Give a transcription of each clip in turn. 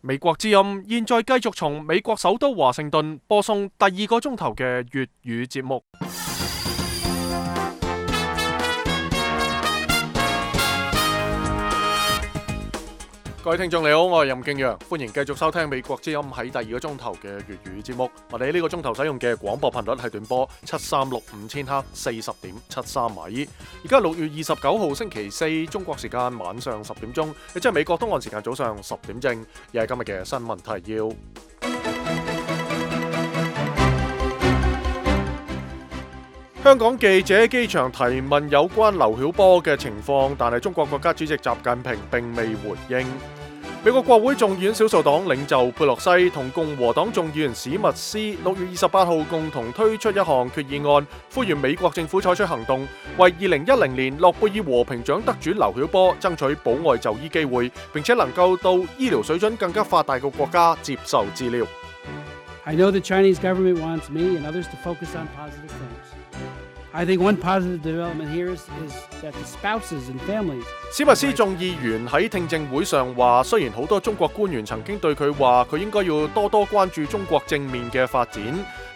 美國之音現在繼續從美國首都華盛頓播送第2個鐘頭嘅粵語節目。各位聽眾你好，我係任敬陽，歡迎繼續收聽美國之音喺第2個鐘頭嘅粵語節目。我哋呢個鐘頭使用嘅廣播頻率係短波7365千赫40.73米。而家6月29號星期四，中國時間晚上10點鐘，亦即係美國東岸時間早上10點正。又係今日嘅新聞提要。香港記者喺機場提問有關劉曉波嘅情況，但係中國國家主席習近平並未回應。美國國會眾議院少數黨領袖佩洛西同共和黨眾議員史密斯6月28號共同推出一項決議案，呼籲美國政府採取行動，為2010年諾貝爾和平獎得主劉曉波爭取保外就醫機會，並且能夠到醫療水準更加發達嘅國家接受治療。I know the Chinese government wants me and others to focus on positive things. I think one positive development here is that the spouses and families. 史密斯眾議員喺聽證會上話，雖然好多中國官員曾經對佢話佢應該要多多關注中國正面嘅發展，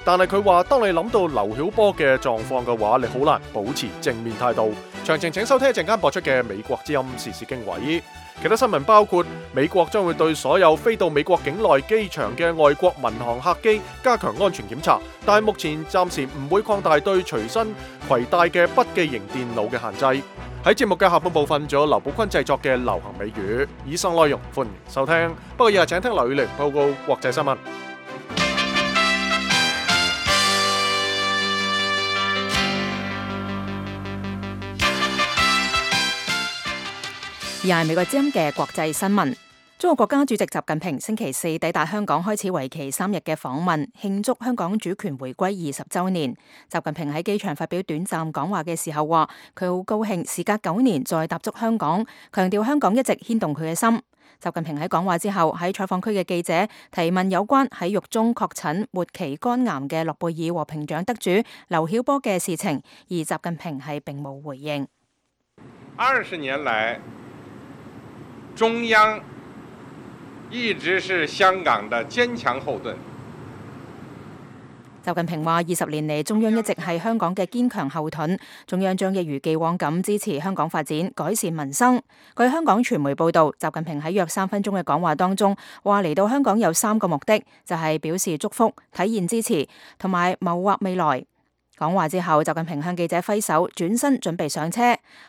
但係佢話當你諗到劉曉波嘅狀況嘅話，你好難保持正面態度。詳情請收聽一陣間播出嘅美國之音時事經緯。其他新聞包括美國將會對所有飛到美國境內機場嘅外國民航客機加強安全檢查，但係目前暫時唔會擴大對隨身攜帶嘅筆記型電腦嘅限制。喺節目嘅下半部分，仲有劉寶坤製作嘅流行美語。以上內容歡迎收聽，不過日日請聽劉宇玲報告國際新聞。而係美國之音嘅國際新聞。中國國家主席習近平星期四抵達香港，開始為期3日嘅訪問，慶祝香港主權回歸20週年。習近平喺機場發表短暫講話嘅時候話，佢好高興時隔9年再踏足香港，強調香港一直牽動佢嘅心。習近平喺講話之後，喺採訪區嘅記者提問有關喺獄中確診末期肝癌嘅諾貝爾和平獎得主劉曉波嘅事情，而習近平係並冇回應。20年來，中央一直是香港的堅強後盾。習近平話：20年嚟，中央一直係香港嘅堅強後盾，中央將一如既往咁支持香港發展、改善民生。據香港傳媒報導，習近平喺約3分鐘嘅講話當中話，嚟到香港有3個目的，就係表示祝福、體現支持同埋謀劃未來。講話之後，習近平向記者揮手，轉身準備上車。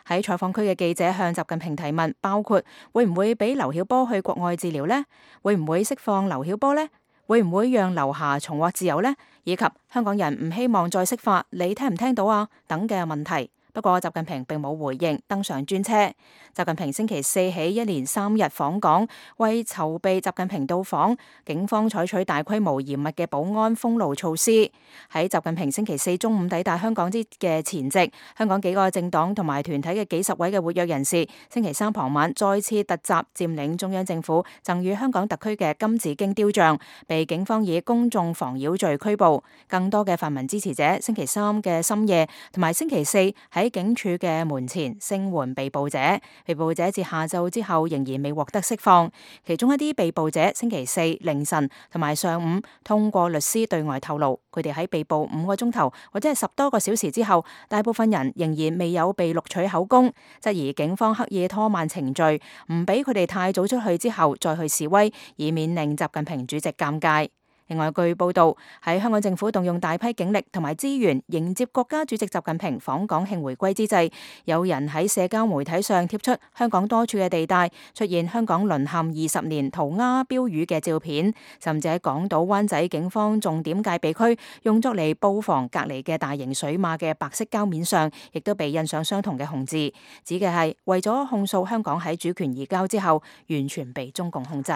喺採訪區嘅記者向習近平提問，包括會唔會俾劉曉波去國外治療呢？會唔會釋放劉曉波呢？會唔會讓劉霞重獲自由呢？以及香港人唔希望再釋法，你聽唔聽到啊？等嘅問題。不過習近平並冇回應，登上專車。習近平星期四起一連3日訪港，為籌備習近平到訪，警方採取大規模嚴密嘅保安封路措施。喺習近平星期四中午抵達香港之嘅前夕，香港幾個政黨同埋團體嘅幾十位嘅活躍人士，星期三傍晚再次突襲佔領中央政府贈予香港特區嘅金紫荊雕像，被警方以公眾妨擾罪拘捕。更多嘅泛民支持者星期三嘅深夜同埋星期四喺警署嘅門前聲援被捕者，被捕者至下晝之後仍然未獲得釋放。其中一啲被捕者星期四凌晨同埋上午通過律師對外透露，佢哋喺被捕5個鐘頭或者係10多個小時之後，大部分人仍然未有被錄取口供，質疑警方刻意拖慢程序，唔俾佢哋太早出去之後再去示威，以免令習近平主席尷尬。另外，據報道，喺香港政府動用大批警力同埋資源迎接國家主席習近平訪港慶回歸之際，有人喺社交媒體上貼出香港多處嘅地帶出現香港淪陷20年塗鴉標語嘅照片，甚至喺港島灣仔警方重點戒備區用作嚟布防隔離嘅大型水馬嘅白色膠面上，亦都被印上相同嘅紅字，指嘅係為咗控訴香港喺主權移交之後完全被中共控制。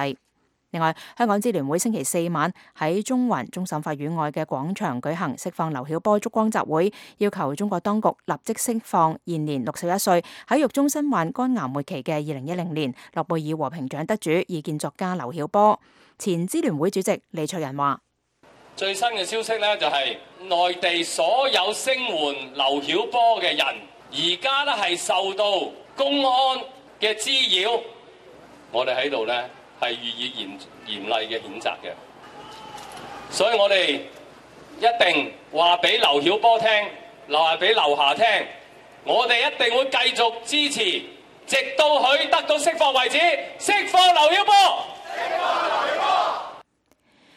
另外，香港支聯會星期四晚喺中環終審法院外嘅廣場舉行釋放劉曉波燭光集會，要求中國當局立即釋放現年61歲喺獄中身患肝癌末期嘅2010年諾貝爾和平獎得主異見作家劉曉波。前支聯會主席李卓人話：最新嘅消息呢，就係內地所有聲援劉曉波嘅人，而家呢係受到公安嘅滋擾，我哋喺度呢，係予以嚴厲嘅譴責嘅。所以我哋一定話俾劉曉波聽，話俾劉霞聽，我哋一定會繼續支持，直到佢得到釋放為止，釋放劉曉波。釋放劉曉波。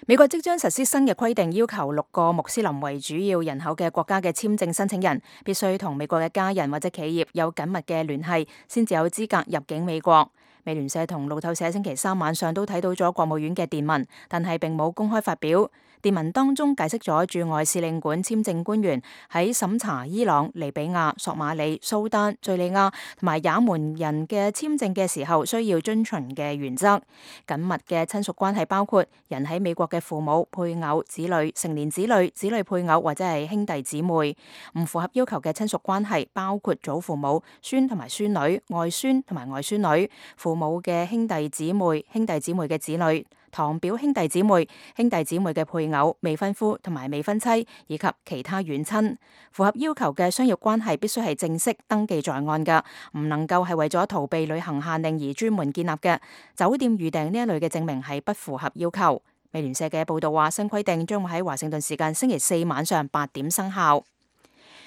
美國即將實施新嘅規定，要求6個穆斯林為主要人口嘅國家嘅簽證申請人必須同美國嘅家人或者企業有緊密嘅聯繫，先至有資格入境美國。美聯社同路透社星期3晚上都睇到咗國務院嘅電文，但係並冇公開發表。電文當中解釋咗駐外使領館簽證官員喺審查伊朗、利比亞、索馬里、蘇丹、敘利亞同埋也門人嘅簽證嘅時候需要遵循嘅原則。緊密嘅親屬關係包括人喺美國嘅父母、配偶、子女、成年子女、子女配偶或者係兄弟姊妹。唔符合要求嘅親屬關係包括祖父母、孫同埋孫女、外孫同埋外孫女、父母嘅兄弟姊妹、兄弟姊妹嘅子女、堂表兄弟姊妹、兄弟姊妹嘅配偶、未婚夫同埋未婚妻，以及其他遠親。符合要求嘅商業關係必須係正式登記在案嘅，唔能夠係為咗逃避旅行限令而專門建立嘅。酒店預訂呢一類嘅證明係不符合要求。美聯社嘅報道話，新規定將會喺華盛頓時間星期4晚上8點生效。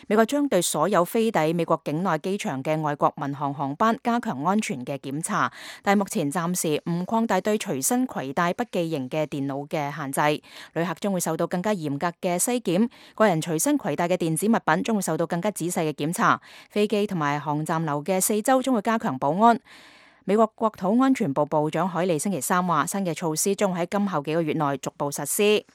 美國將對所有飛抵美國境內機場嘅外國民航航班加強安全嘅檢查，但目前暫時唔擴大對隨身攜帶筆記型嘅電腦嘅限制。旅客將會受到更加嚴格嘅篩檢，個人隨身攜帶嘅電子物品將會受到更加仔細嘅檢查。飛機同埋航站樓嘅4周將會加強保安。美國國土安全部部長海利星期3話，新嘅措施將會喺今後幾個月內逐步實施。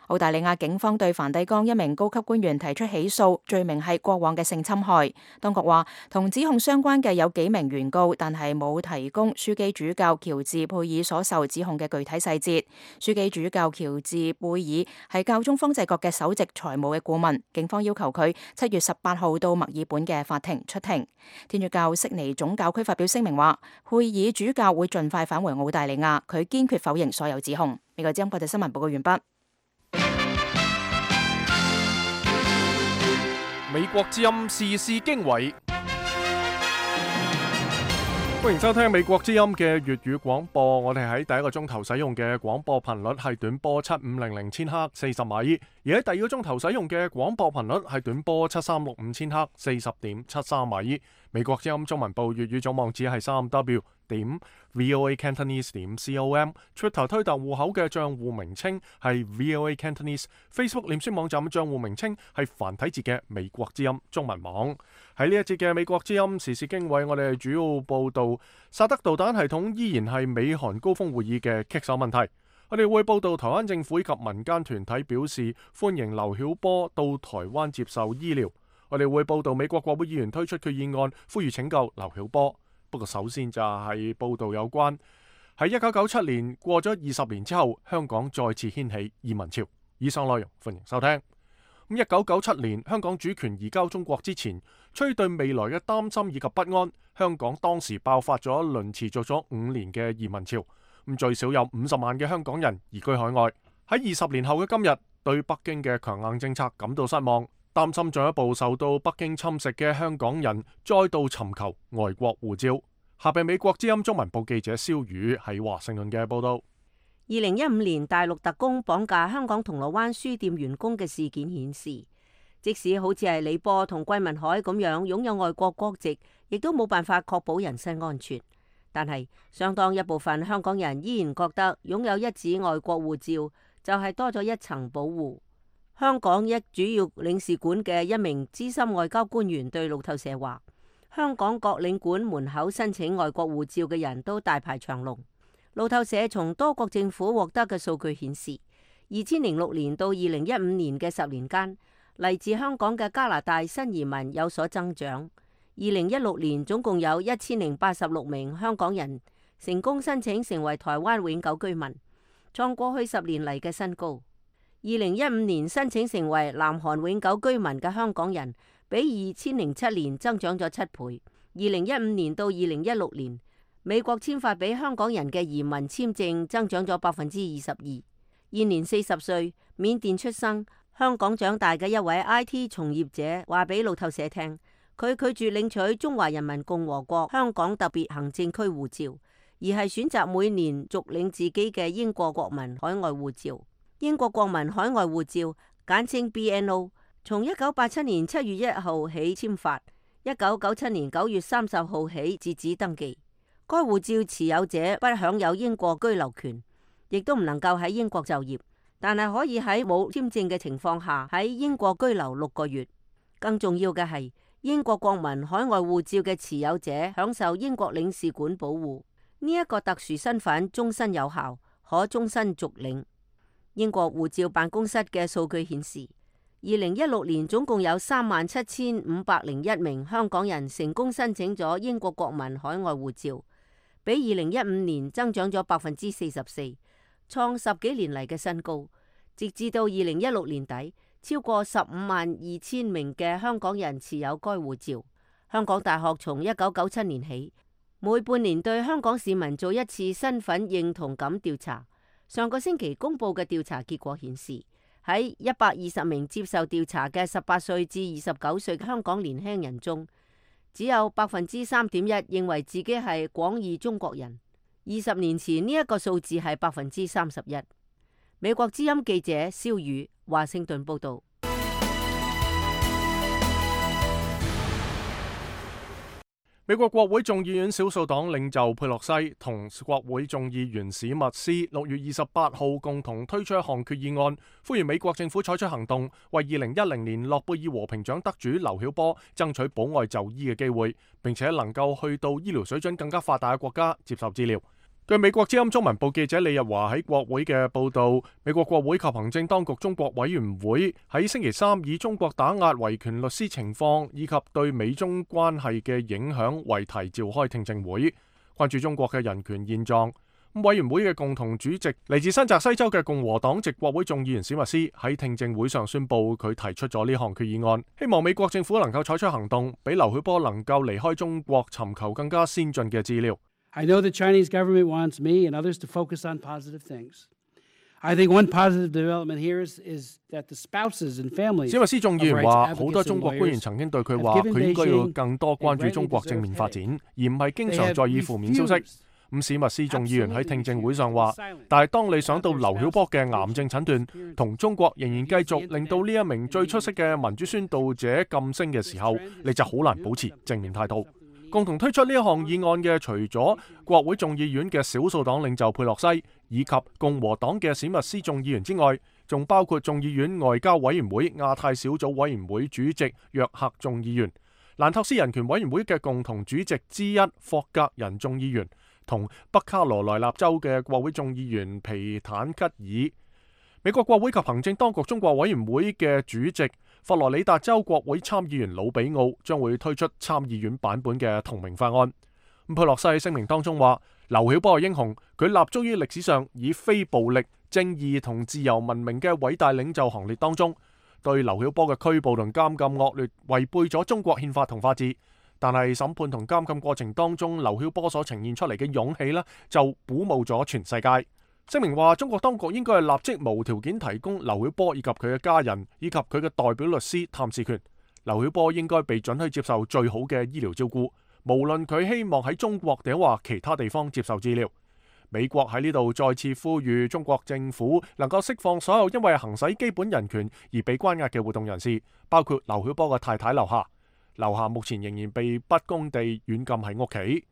澳大利亞警方對梵蒂岡一名高級官員提出起訴，罪名係過往嘅性侵害。當局話，同指控相關嘅有幾名原告，但係冇提供樞機主教喬治貝爾所受指控嘅具體細節。樞機主教喬治貝爾係教宗方濟各嘅首席財務嘅顧問，警方要求佢7月18號到墨爾本嘅法庭出庭。天主教悉尼總教區發表聲明話，貝爾主教會盡快返回澳大利亞，佢堅決否認所有指控。美國之音國際新聞報告完畢。美國之音時事經緯，歡迎收聽美國之音嘅粵語廣播。我哋喺第一個鐘頭使用嘅廣播頻率係短波7500千赫40米，而喺第二個鐘頭使用嘅廣播頻率係短波7365千赫40.73米。美國之音中文部粵語總網址係3W VOA Cantonese .com， Twitter 推特戶口嘅賬戶名稱係 VOA Cantonese， Facebook 臉書網站嘅賬戶名稱係繁體字嘅美國之音中文網。喺呢一節嘅美國之音時事經緯，我哋主要報道薩德導彈系統依然係美韓高峰會議嘅棘手問題。我哋會報道台灣政府以及民間團體表示歡迎劉曉波到台灣接受醫療。我哋會報道美國國會議員推出決議案，呼籲拯救劉曉波。不過首先就係報道有關喺1997年過咗20年之後，香港再次掀起移民潮。以上內容歡迎收聽。1997年香港主權移交中國之前，出於對未來嘅擔心以及不安，香港當時爆發咗一輪持續咗5年嘅移民潮。最少有50萬嘅香港人移居海外。喺20年後嘅今日，對北京嘅強硬政策感到失望，擔心進一步受到北京侵蝕嘅香港人再度尋求外國護照。下邊美國之音中文部記者蕭宇喺華盛頓嘅報道。2015年大陸特工綁架香港銅鑼灣書店員工嘅事件顯示，即使好似係李波同桂民海咁樣擁有外國國籍，亦都冇辦法確保人身安全。但係相當一部分香港人依然覺得擁有一紙外國護照就係多咗一層保護。香港一主要領事館嘅一名資深外交官員對路透社話，香港各領館門口申請外國護照嘅人都大排長龍。路透社從多國政府獲得嘅數據顯示，2006年到2015年嘅10年間，嚟自香港嘅加拿大新移民有所增長。2016年總共有1086名香港人成功申請成為台灣永久居民，創過去10年嚟嘅新高。2015年申請成為南韓永久居民嘅香港人比2007年增長咗7倍。2015年到2016年，美國簽發俾香港人嘅移民簽證增長咗22%。現年40歲，緬甸出生、香港長大嘅一位 IT 從業者話俾路透社聽，佢拒絕領取中華人民共和國香港特別行政區護照，而係選擇每年續領自己嘅英國國民海外護照。英國國民海外護照簡稱 BNO， 從1987年7月1號起簽發，1997年9月30號起截止登記。該護照持有者不享有英國居留權，亦都唔能夠喺英國就業，但係可以喺冇簽證嘅情況下喺英國居留6個月。更重要嘅係，英國國民海外護照嘅持有者享受英國領事館保護，呢一個特殊身份終身有效，可終身續領。英國護照辦公室嘅數據顯示，2016年總共有37,501名香港人成功申請咗英國國民海外護照，比2015年增長咗44%，創10幾年嚟嘅新高。直至到2016年底，超過15,200名嘅香港人持有該護照。香港大學從1997年起，每半年對香港市民做一次身份認同感調查。上個星期公布嘅調查結果顯示，喺120名接受調查嘅18歲至29歲香港年輕人中，只有3.1%認為自己係廣義中國人。20年前呢一個數字係31%。美國之音記者蕭宇華盛頓報道。美國國會眾議院少數黨領袖佩洛西同國會眾議員史密斯6月28號共同推出一項決議案，呼籲美國政府採取行動，為2010年諾貝爾和平獎得主劉曉波爭取保外就醫嘅機會，並且能夠去到醫療水準更加發達嘅國家接受治療。據美國之音中文部記者李日華喺國會嘅報道，美國國會及行政當局中國委員會喺星期三以中國打壓維權律師情況以及對美中關係嘅影響為題召開聽證會，關注中國嘅人權現狀。委員會嘅共同主席嚟自新澤西州嘅共和黨籍國會眾議員史密斯喺聽證會上宣布，佢提出咗呢項決議案，希望美國政府能夠採取行動，俾劉曉波能夠離開中國，尋求更加先進嘅治療。I know the Chinese government wants me and others to focus on positive things. I think one positive development here is that the spouses and families. 史密斯眾議員話，好多中國官員曾經對佢話，佢應該要更多關注中國正面發展，而唔係經常在意負面消息。史密斯眾議員喺聽證會上話，但係當你想到劉曉波嘅癌症診斷同中國仍然繼續令到呢一名最出色嘅民主宣導者噤聲嘅時候，你就好難保持正面態度。共同推出呢一項議案嘅，除咗國會眾議院嘅少數黨領袖佩洛西以及共和黨嘅史密斯眾議員之外，仲包括眾議院外交委員會亞太小組委員會主席約克眾議員、蘭托斯人權委員會嘅共同主席之一霍格人眾議員，同北卡羅來納州嘅國會眾議員皮坦吉爾。美國國會及行政當局中國委員會嘅主席佛羅里達州國會參議員魯比奧將會推出參議院版本嘅同名法案。佩洛西喺聲明當中話，劉曉波係英雄，佢立足於歷史上以非暴力、正義同自由聞名嘅偉大領袖行列當中。對劉曉波嘅拘捕同監禁惡劣，違背咗中國憲法同法治。但係審判同監禁過程當中，劉曉波所呈現出嚟嘅勇氣呢，就鼓舞咗全世界。聲明話，中國當局應該係立即無條件提供劉曉波以及佢嘅家人以及佢嘅代表律師探視權。劉曉波應該被准許接受最好嘅醫療照顧，無論佢希望喺中國定或其他地方接受治療。美國喺呢度再次呼籲中國政府能夠釋放所有因為行使基本人權而被關押嘅活動人士，包括劉曉波嘅太太劉霞。劉霞目前仍然被不公地軟禁喺屋企。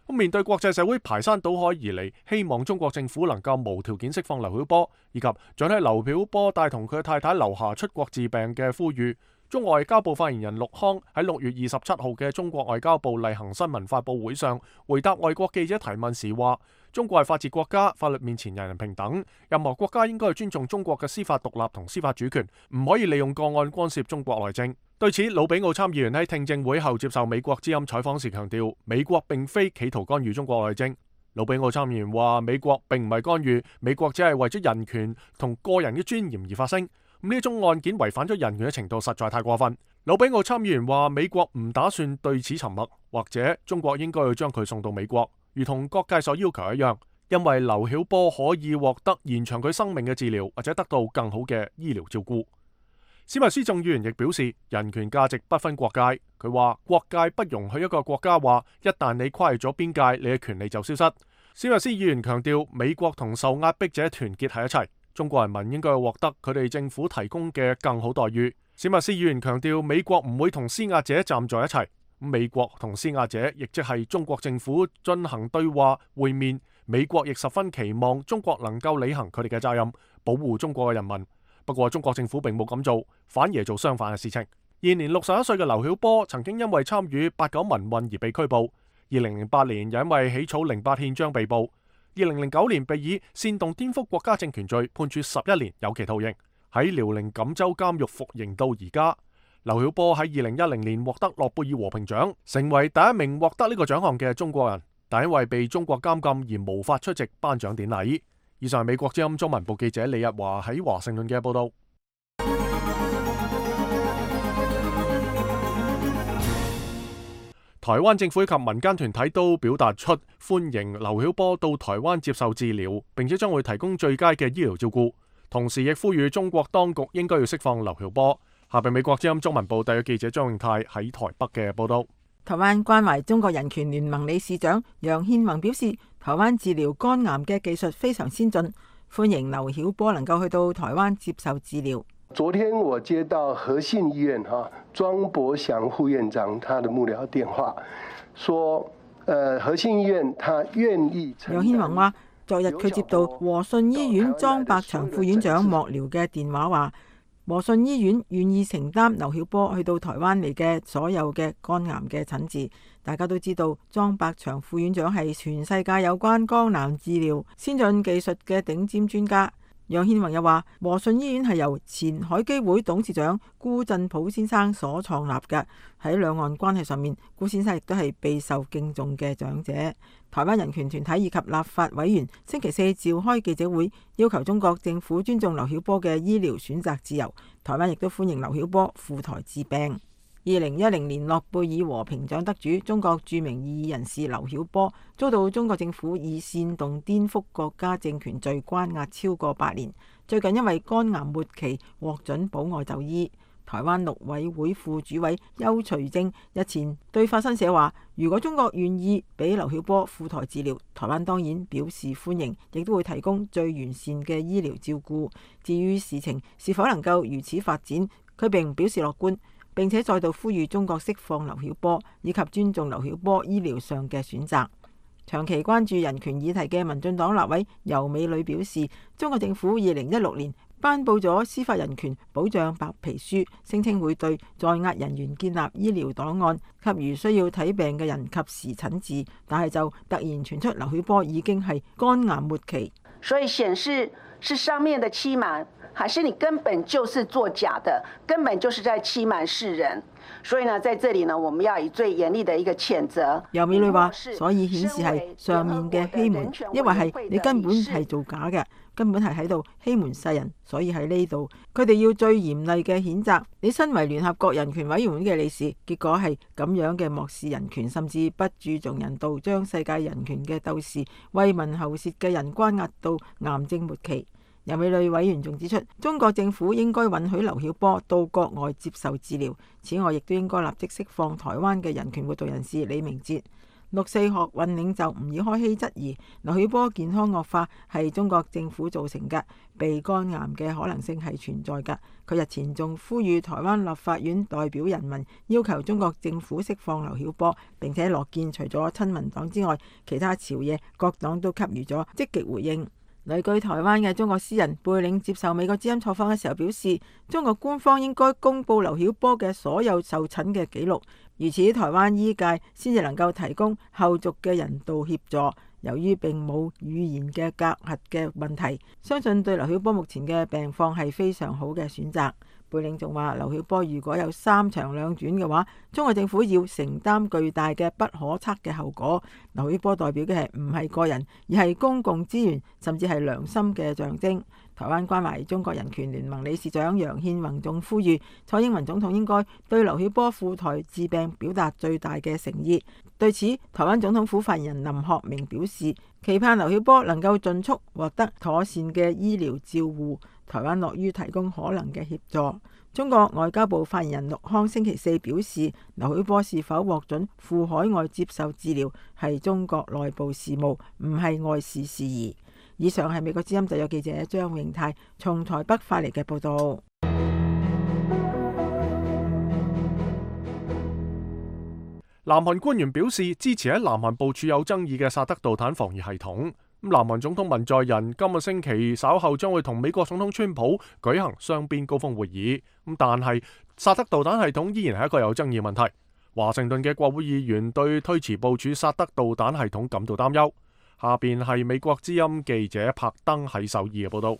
面對國際社會排山倒海而嚟，希望中國政府能夠無條件釋放劉曉波，以及准許劉曉波帶同佢嘅太太劉霞出國治病嘅呼籲，中國外交部發言人陸康喺6月27號嘅中國外交部例行新聞發佈會上回答外國記者提問時話，中國係法治國家，法律面前人人平等，任何國家應該尊重中國嘅司法獨立同司法主權，唔可以利用個案干涉中國內政。對此，魯比奧參議員喺聽證會後接受美國之音採訪時強調，美國並非企圖干預中國內政。魯比奧參議員話，美國並唔係干預，美國只係為咗人權同個人嘅尊嚴而發聲。呢一宗案件違反咗人權嘅程度實在太過分。魯比奧參議員話，美國唔打算對此沉默，或者中國應該要將佢送到美國，如同各界所要求一樣，因為劉曉波可以獲得延長佢生命嘅治療，或者得到更好嘅醫療照顧。史密斯眾議員亦表示，人權價值不分國界。佢話，國界不容許一個國家話，一旦你跨越咗邊界，你嘅權利就消失。史密斯議員強調，美國同受壓迫者團結喺一齊，中國人民應該獲得佢哋政府提供嘅更好待遇。史密斯議員強調，美國唔會同施壓者站在一齊，美國同施壓者亦即係中國政府進行對話會面。美國亦十分期望中國能夠履行佢哋嘅責任，保護中國嘅人民。不過中國政府並冇咁做，反而做相反嘅事情。現年61歲嘅劉曉波曾經因為參與89民運而被拘捕。2008年又因為起草08憲章被捕，2009年被以煽動顛覆國家政權罪判處11年有期徒刑，喺遼寧錦州監獄服刑到而家。劉曉波喺2010年獲得諾貝爾和平獎，成為第一名獲得呢個獎項嘅中國人，但因為被中國監禁而無法出席頒獎典禮。以上係美國之音中文部記者李日華喺華盛頓嘅報道。台灣政府及民間團體都表達出歡迎劉曉波到台灣接受治療，並且將會提供最佳嘅醫療照顧，同時亦呼籲中國當局應該要釋放劉曉波。下邊美國之音中文部特約記者張永泰喺台北嘅報道。台灣關懷中國人權聯盟理事長楊憲宏表示，台灣治療肝癌嘅技術非常先進，歡迎劉曉波能夠去到台灣接受治療。昨天我接到和信醫院莊伯祥副院長他的幕僚電話，說和信醫院他願意。楊憲宏話，昨日佢接到和信醫院莊伯祥副院長幕僚嘅電話，話和信醫院願意承擔劉曉波去到台灣嚟嘅所有嘅肝癌嘅診治。大家都知道，莊伯祥副院長係全世界有關肝癌治療先進技術嘅頂尖專家。楊憲宏又話，和信醫院係由前海基會董事長辜振甫先生所創立嘅。喺兩岸關係上面，辜先生亦都係備受敬重嘅長者。台灣人權團體以及立法委員星期四召開記者會，要求中國政府尊重劉曉波嘅醫療選擇自由。台灣亦都歡迎劉曉波赴台治病。2010年諾貝爾和平獎得主、中國著名異議人士劉曉波遭到中國政府以煽動顛覆國家政權罪關押超過8年，最近因為肝癌末期獲准保外就醫。台灣陸委會副主委邱垂正日前對法新社話，如果中國願意俾劉曉波赴台治療，台灣當然表示歡迎，亦都會提供最完善嘅醫療照顧。至於事情是否能夠如此發展，佢並表示樂觀，並且再度呼籲中國釋放劉曉波，以及尊重劉曉波醫療上嘅選擇。長期關注人權議題嘅民進黨立委游美女表示，中國政府2016年頒布咗司法人權保障白皮書，聲稱會對在押人員建立醫療檔案，給予需要睇病嘅人及時診治，但係就突然傳出劉曉波已經係肝癌末期，所以顯示是上面的欺瞞，還是你根本就是作假的，根本就是在欺瞞世人。所以呢，在這裡呢，我們要以最嚴厲的一個譴責。游美女話，所以顯示係上面嘅欺瞞，因為係你根本係做假嘅，根本係喺度欺瞞世人，所以喺呢度佢哋要最嚴厲嘅譴責。你身為聯合國人權委員會嘅理事，結果係咁樣嘅漠視人權，甚至不注重人道，將世界人權嘅鬥士為民喉舌嘅人關押到癌症末期。游美女委員仲指出，中國政府應該允許劉曉波到國外接受治療，此外亦都應該立即釋放台灣嘅人權活動人士李明哲。6.4學運領袖吾爾開希質疑劉曉波健康惡化係中國政府造成嘅，被肝癌嘅可能性係存在嘅。佢日前仲呼籲台灣立法院代表人民要求中國政府釋放劉曉波，並且樂見除咗親民黨之外，其他朝野各黨都給予咗積極回應。旅居台灣嘅中國詩人貝嶺接受美國之音採訪嘅時候表示，中國官方應該公布劉曉波嘅所有受診嘅記錄，如此台灣醫界先至能夠提供後續嘅人道協助。由於並冇語言嘅隔閡嘅問題，相信對劉曉波目前嘅病況係非常好嘅選擇。貝嶺仲話，劉曉波如果有3長2短嘅話，中國政府要承擔巨大嘅不可測嘅後果。劉曉波代表嘅係唔係個人，而係公共資源，甚至係良心嘅象徵。台灣關懷中國人權聯盟理事長楊憲宏仲呼籲蔡英文總統應該對劉曉波赴台治病表達最大嘅誠意。對此，台灣總統府發言人林學明表示，期盼劉曉波能夠盡速獲得妥善嘅醫療照護，台灣樂於提供可能嘅協助。中國外交部發言人陸康星期四表示，劉曉波是否獲准赴海外接受治療係中國內部事務，唔係外事事宜。以上係美國之音特約記者張永泰從台北發嚟嘅報道。南韓官員表示支持喺南韓部署有爭議嘅薩德導彈防禦系統。南韓總統文在寅今個星期稍後將會同美國總統川普舉行雙邊高峰會議。但係薩德導彈系統依然係一個有爭議問題。華盛頓嘅國會議員對推遲部署薩德導彈系統感到擔憂。下邊係美國之音記者柏登喺首爾嘅報道。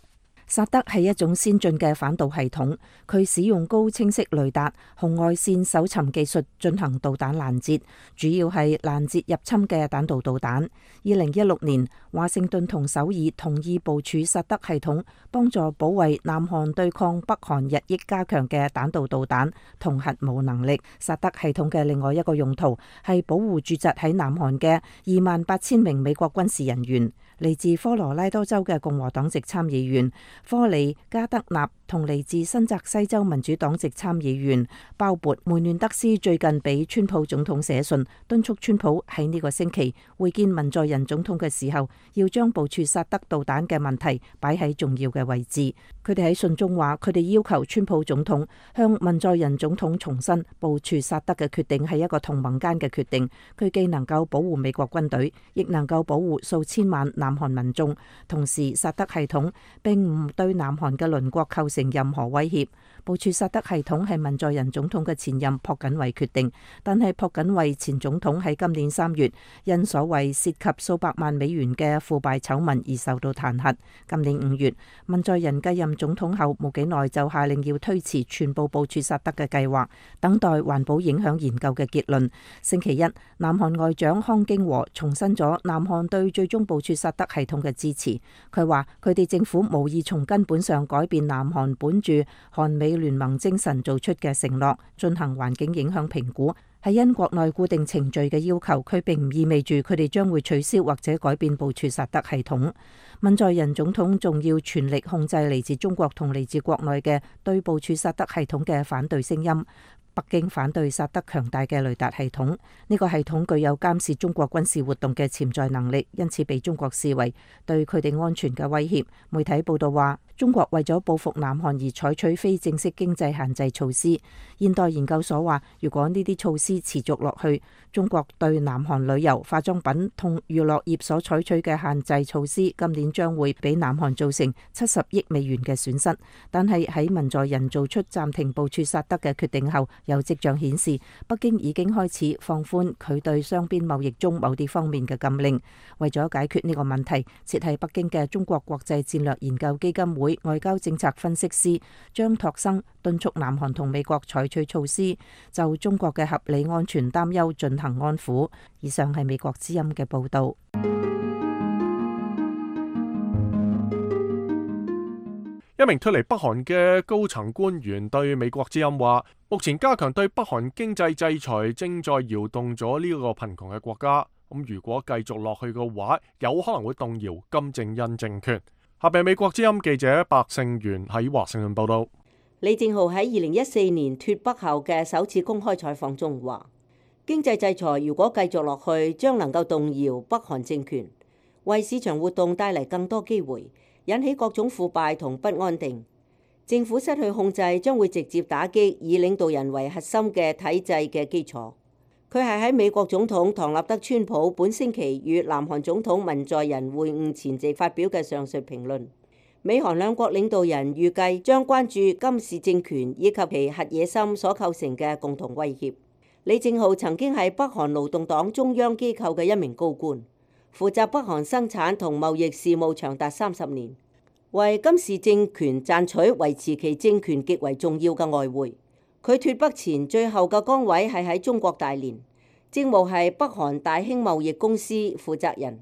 薩德係一種先進嘅反導系統，佢使用高清晰雷達、紅外線搜尋技術進行導彈攔截，主要係攔截入侵嘅彈道導彈。2016年，華盛頓同首爾同意部署薩德系統，幫助保衛南韓對抗北韓日益加強嘅彈道導彈同核武能力。薩德系統嘅另外一個用途係保護駐紮喺南韓嘅28,000名美國軍事人員。嚟自科羅拉多州嘅共和黨籍參議員科里加德納同嚟自新澤西州民主黨籍參議員鮑勃梅嫩德斯最近俾川普總統寫信，敦促川普喺呢個星期會見文在寅總統嘅時候，要將部署薩德導彈嘅問題擺喺重要嘅位置。佢哋喺信中話，佢哋要求川普總統向文在寅總統重申部署薩德嘅決定係一個同盟間嘅決定，佢既能夠保護美國軍隊，亦能夠保護數千萬南韓民眾。同時，薩德系統並唔對南韓嘅鄰國構成任何威脅。部署薩德系統係文在寅總統嘅前任朴槿惠決定，但係朴槿惠前總統喺今年3月因所謂涉及數百萬美元嘅腐敗醜聞而受到彈劾。今年5月，文在寅繼任總統後冇幾耐就下令要推遲全部部署薩德嘅計劃，等待環保影響研究嘅結論。星期一，南韓外長康京和重申咗南韓對最終部署薩德系統嘅支持。佢話佢哋政府無意從根本上改變南韓本住韓美聯盟精神做出嘅承諾，進行環境影響評估，係因國內固定程序嘅要求。佢並唔意味住佢哋將會取消或者改變部署薩德系統。文在寅總統仲要全力控制嚟自中國同嚟自國內嘅對部署薩德系統嘅反對聲音。北京反對薩德強大嘅雷達系統，呢個系統具有監視中國軍事活動嘅潛在能力，因此被中國視為對佢哋安全嘅威脅。媒體報道話，中國為咗報復南韓而採取非正式經濟限制措施。現代研究所話，如果呢啲措施持續落去，中國對南韓旅遊、化妝品同娛樂業所採取嘅限制措施，今年將會俾南韓造成70億美元嘅損失。但係喺文在寅做出暫停部署薩德嘅決定後，有跡象顯示北京已經開始放寬佢對雙邊貿易中某啲方面嘅禁令。為咗解決呢個問題，設喺北京嘅中國國際戰略研究基金會外交政策分析師張拓生敦促南韓同美國採取措施，就中國嘅合理安全擔憂進行安撫。以上係美國之音嘅報道。一名脫離北韓嘅高層官員對美國之音話，目前加強對北韓經濟制裁正在搖動咗呢個貧窮嘅國家。如果繼續落去嘅話，有可能會動搖金正恩政權。下邊美國之音記者白勝元喺華盛頓報道。李正浩喺2014年脫北後嘅首次公開採訪中話，經濟制裁如果繼續落去，將能夠動搖北韓政權，為市場活動帶嚟更多機會，引起各種腐敗同不安定。政府失去控制，將會直接打擊以領導人為核心嘅體制嘅基礎。佢係喺美國總統唐納德川普本星期與南韓總統文在寅會晤前夕發表嘅上述評論。美韓兩國領導人預計將關注金氏政權以及其核野心所構成嘅共同威脅。李正浩曾經係北韓勞動黨中央機構嘅一名高官，負責北韓生產同貿易事務長達30年，為金氏政權賺取維持其政權極為重要嘅外匯。佢脫北前最後嘅崗位係喺中國大連，職務係北韓大興貿易公司負責人。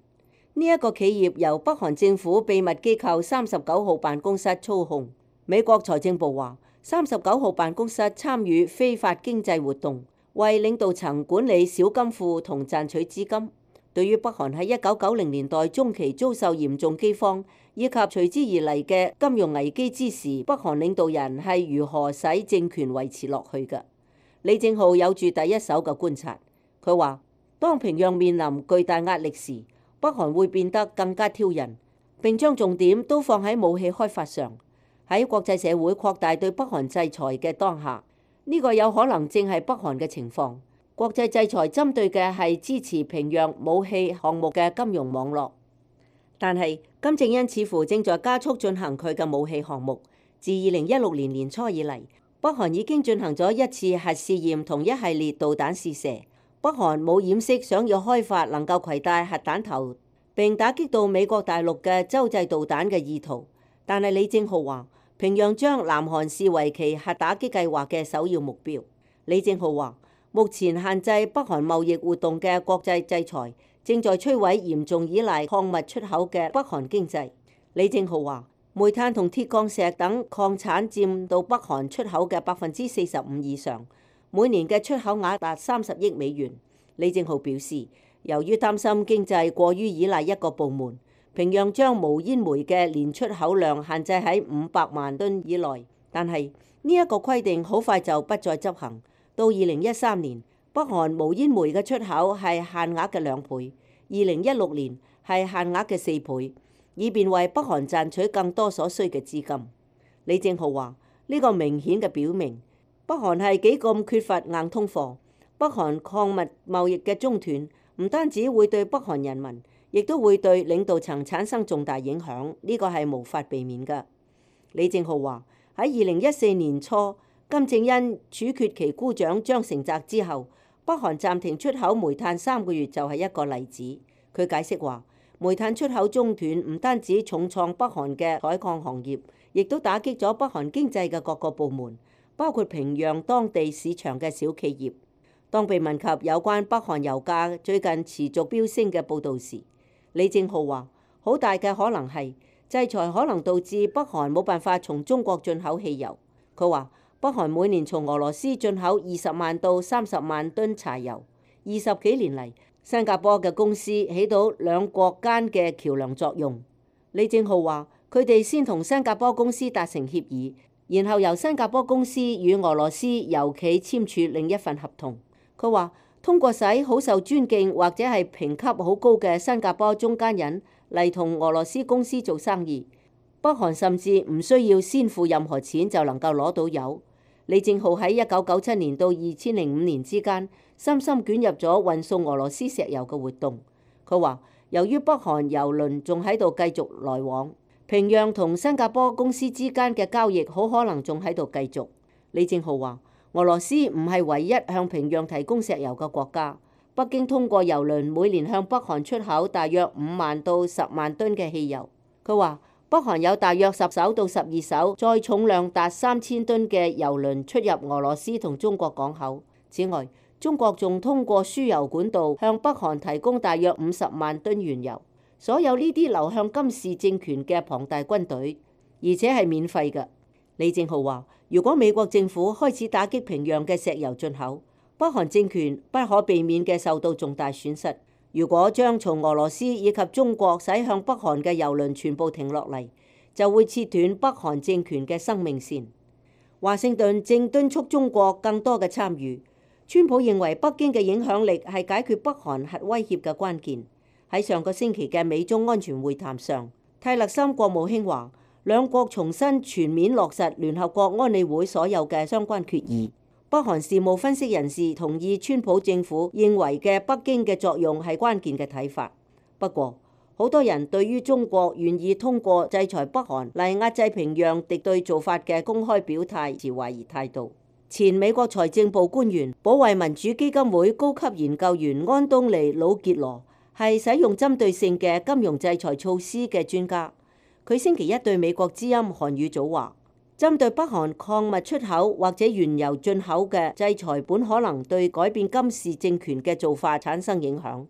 呢一個企業由北韓政府秘密機構39號辦公室操控。美國財政部話，39號辦公室參與非法經濟活動，為領導層管理小金庫同賺取資金。對於北韓喺1990年代中期遭受嚴重饑荒以及隨之而嚟嘅金融危機之時，北韓領導人係如何使政權維持落去嘅。李正浩有住第一手嘅觀察，佢話：當平壤面臨巨大壓力時，北韓會變得更加挑釁，並將重點都放喺武器開發上。喺國際社會擴大對北韓制裁嘅當下，呢個有可能正係北韓嘅情況。國際制裁針對嘅係支持平壤武器項目嘅金融網絡，但係金正恩似乎正在加速進行佢嘅武器項目。自2016年年初以嚟，北韓已經進行咗一次核試驗同一系列導彈試射。北韓冇掩飾想要開發能夠攜帶核彈頭並打擊到美國大陸嘅洲際導彈嘅意圖，但係李正浩話平壤將南韓視為其核打擊計劃嘅首要目標。李正浩話：目前限制北韓貿易活動嘅國際制裁正在摧毀嚴重依賴礦物出口嘅北韓經濟。李正浩話：煤炭同鐵礦石等礦產佔到北韓出口嘅45%以上，每年嘅出口額達30億美元。李正浩表示，由於擔心經濟過於依賴一個部門，平壤將無煙煤嘅年出口量限制喺500萬噸以內，但係呢一個規定好快就不再執行。到2013年，北韓無煙煤嘅出口係限額嘅2倍，2016年係限額嘅4倍，以便為北韓賺取更多所需嘅資金。李正浩話：呢個明顯嘅表明，北韓係幾咁缺乏硬通貨。北韓礦物貿易嘅中斷唔單止會對北韓人民，亦都會對領導層產生重大影響，呢個係無法避免嘅。李正浩話：喺2014年初，金正恩處決其姑丈張成澤之後，北韓暫停出口煤炭3個月就係一個例子。佢解釋話，煤炭出口中斷唔單止重創北韓嘅採礦行業，亦都打擊咗北韓經濟嘅各個部門，包括平壤當地市場嘅小企業。當被問及有關北韓油價最近持續飆升嘅報導時，李正浩話：好大嘅可能係制裁可能導致北韓冇辦法從中國進口汽油。佢話：北韓每年從俄羅斯進口20萬到30萬噸柴油。20幾年嚟，新加坡嘅公司起到兩國間嘅橋樑作用。李正浩話：佢哋先同新加坡公司達成協議，然後由新加坡公司與俄羅斯油企簽署另一份合同。佢話：通過使好受尊敬或者係評級好高嘅新加坡中間人嚟同俄羅斯公司做生意，北韓甚至唔需要先付任何錢就能夠攞到油。李正浩喺1997年到2005年之間，深深捲入咗運送俄羅斯石油嘅活動。佢話：由於北韓油輪仲喺度繼續來往，平壤同新加坡公司之間嘅交易好可能仲喺度繼續。李正浩話：俄羅斯唔係唯一向平壤提供石油嘅國家。北京通過油輪每年向北韓出口大約5萬到10萬噸嘅汽油。佢話：北韓有大約10艘到12艘載重量達3000噸嘅油輪出入俄羅斯同中國港口。此外，中國仲通過輸油管道向北韓提供大約50萬噸原油。所有呢啲流向金氏政權嘅龐大軍隊，而且係免費嘅。李正浩話：如果美國政府開始打擊平壤嘅石油進口，北韓政權不可避免嘅受到重大損失。如果將從俄羅斯以及中國駛向北韓嘅油輪全部停落嚟，就會切斷北韓政權嘅生命線。華盛頓正敦促中國更多嘅參與。川普認為北京嘅影響力係解決北韓核威脅嘅關鍵。喺上個星期嘅美中安全會談上，泰勒森國務卿話，兩國重新全面落實聯合國安理會所有嘅相關決議。北韓事務分析人士同意川普政府認為嘅北京嘅作用係關鍵嘅睇法。不過，好多人對於中國願意通過制裁北韓嚟壓制平壤敵對做法嘅公開表態持懷疑態度。前美國財政部官員、保衛民主基金會高級研究員安東尼·魯傑羅係使用針對性嘅金融制裁措施嘅專家。佢星期一對美國之音韓語組話，針對北韓礦物出口或者原油進口嘅制裁本可能對改變金氏政權嘅做法產生影響，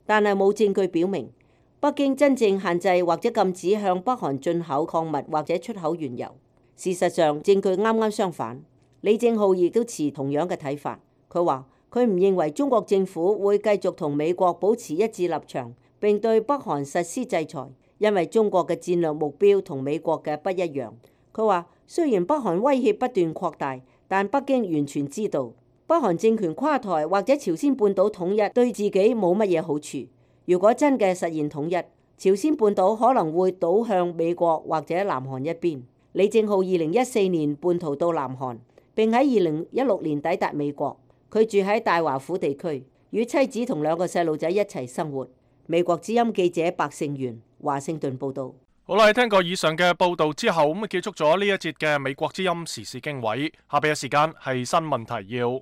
但係冇證據表明北京真正限制或者禁止向北韓進口礦物或者出口原油。事實上，證據啱啱相反。李正浩亦都持同樣嘅睇法。佢話佢唔認為中國政府會繼續同美國保持一致立場，並對北韓實施制裁，因為中國嘅戰略目標同美國嘅不一樣。佢話雖然北韓威脅不斷擴大，但北京完全知道北韓政權垮台或者朝鮮半島統一對自己冇乜嘢好處。如果真嘅實現統一，朝鮮半島可能會倒向美國或者南韓一邊。李正浩2014年叛逃到南韓，並喺2016年抵達美國。佢住喺大華府地區，與妻子同2個細路仔一齊生活。美國之音記者白勝元華盛頓報道。好啦，聽過以上嘅報道之後，咁結束咗呢一節嘅美國之音時事經緯。下邊嘅時間係新聞提要。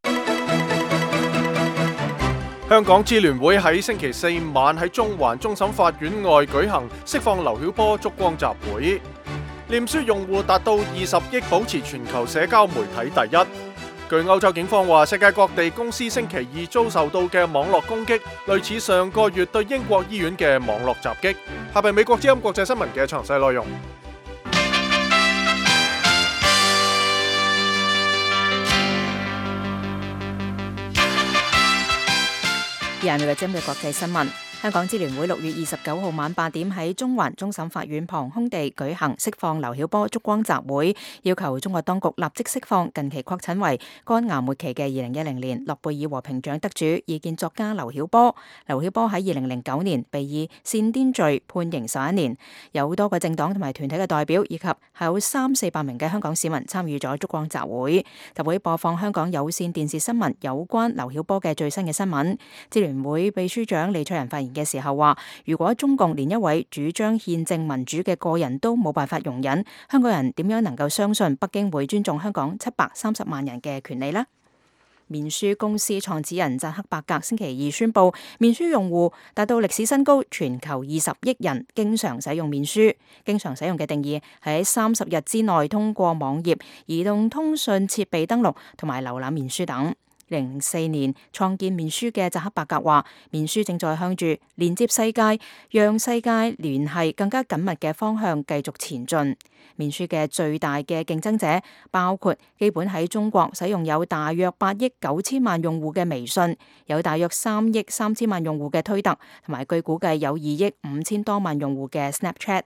香港支聯會喺星期4晚喺中環終審法院外舉行釋放劉曉波燭光集會，臉書用戶達到20億，保持全球社交媒體第一。據歐洲警方話，世界各地公司星期2遭受到嘅網絡攻擊，類似上個月對英國醫院嘅網絡襲擊。下邊美國之音國際新聞嘅詳細內容。以下係美國之音嘅國際新聞。香港支聯會6月29號晚8點喺中環終審法院旁空地舉行釋放劉曉波燭光集會，要求中國當局立即釋放近期確診為肝癌末期嘅2010年諾貝爾和平獎得主、異見作家劉曉波。劉曉波喺2009年被以煽顛罪判刑11年，有多個政黨同埋團體嘅代表以及有300-400名嘅香港市民參與咗燭光集會。集會播放香港有線電視新聞有關劉曉波嘅最新嘅新聞。支聯會秘書長李卓人發言嘅時候話，如果中共連一位主張憲政民主嘅個人都冇辦法容忍，香港人點樣能夠相信北京會尊重香港730萬人嘅權利呢？面書公司創始人扎克伯格星期2宣布，面書用戶達到歷史新高，全球20億人經常使用面書。經常使用嘅定義係喺30日之內通過網頁、移動通訊設備登錄同埋瀏覽面書等。2004年創建面書嘅扎克伯格話，面書正在向住連接世界、讓世界聯繫更加緊密嘅方向繼續前進。面書嘅最大嘅競爭者包括基本喺中國使用有大約8億9千萬用戶嘅微信，有大約3億3千萬用戶嘅推特，同埋據估計有2億5千多萬用戶嘅 Snapchat。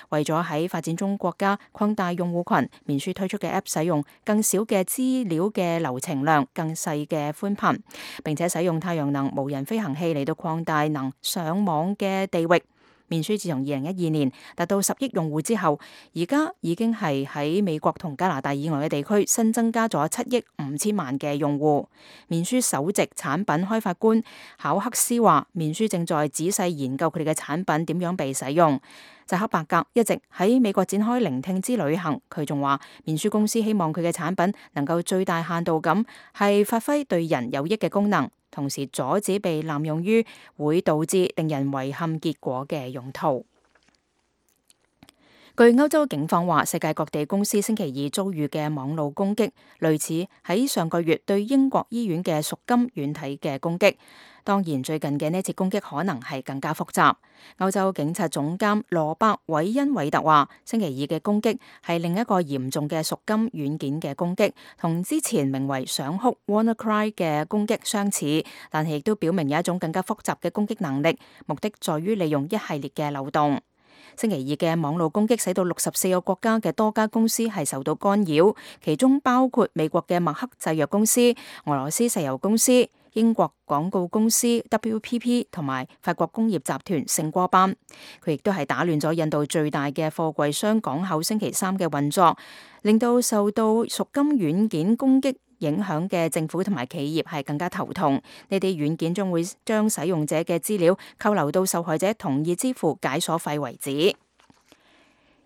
為咗喺發展中國家擴大用戶群，面書推出嘅 App 使用更少嘅資料嘅流程量、更細嘅寬頻，並且使用太陽能無人飛行器嚟到擴大能上網嘅地域。面書自從2012年達到10億用戶之後，而家已經係喺美國同加拿大以外嘅地區新增加咗7億5千萬嘅用戶。面書首席產品開發官考克斯話，面書正在仔細研究佢哋嘅產品點樣被使用。扎克伯格一直喺美國展開聆聽之旅行，佢仲話面書公司希望佢嘅產品能夠最大限度咁係發揮對人有益嘅功能，同時阻止被濫用於會導致令人遺憾結果嘅用途。據歐洲警方話，世界各地公司星期2遭遇嘅網路攻擊，類似喺上個月對英國醫院嘅贖金軟體嘅攻擊。當然，最近嘅呢次攻擊可能係更加複雜。歐洲警察總監羅伯·韋恩韋特話，星期2嘅攻擊係另一個嚴重嘅贖金軟件嘅攻擊，同之前名為想哭 WannaCry 嘅攻擊相似，但係亦都表明有一種更加複雜嘅攻擊能力，目的在於利用一系列嘅漏洞。星期2嘅網路攻擊使到64個國家嘅多家公司係受到干擾，其中包括美國嘅默克製藥公司、俄羅斯石油公司、英國廣告公司 WPP 同埋法國工業集團聖戈班。佢亦都係打亂咗印度最大嘅貨櫃箱港口星期3嘅運作，令到受到贖金軟件攻擊影響嘅政府同埋企業係更加頭痛。呢啲軟件將會將使用者嘅資料扣留到受害者同意支付解鎖費為止。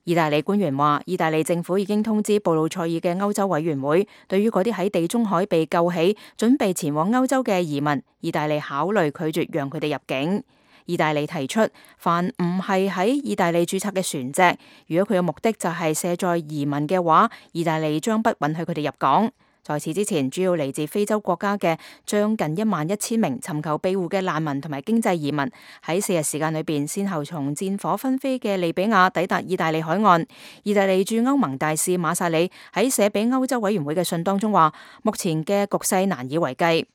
意大利官員話，意大利政府已經通知布魯塞爾嘅歐洲委員會，對於嗰啲喺地中海被救起、準備前往歐洲嘅移民，意大利考慮拒絕讓佢哋入境。意大利提出，凡唔係喺意大利註冊嘅船隻，如果佢嘅目的就係卸載移民嘅話，意大利將不允許佢哋入港。在此之前，主要嚟自非洲國家嘅將近11000名尋求庇護嘅難民同埋經濟移民，喺4日時間裏邊，先後從戰火紛飛嘅利比亞抵達意大利海岸。意大利駐歐盟大使馬薩里喺寫俾歐洲委員會嘅信當中話，目前嘅局勢難以為繼。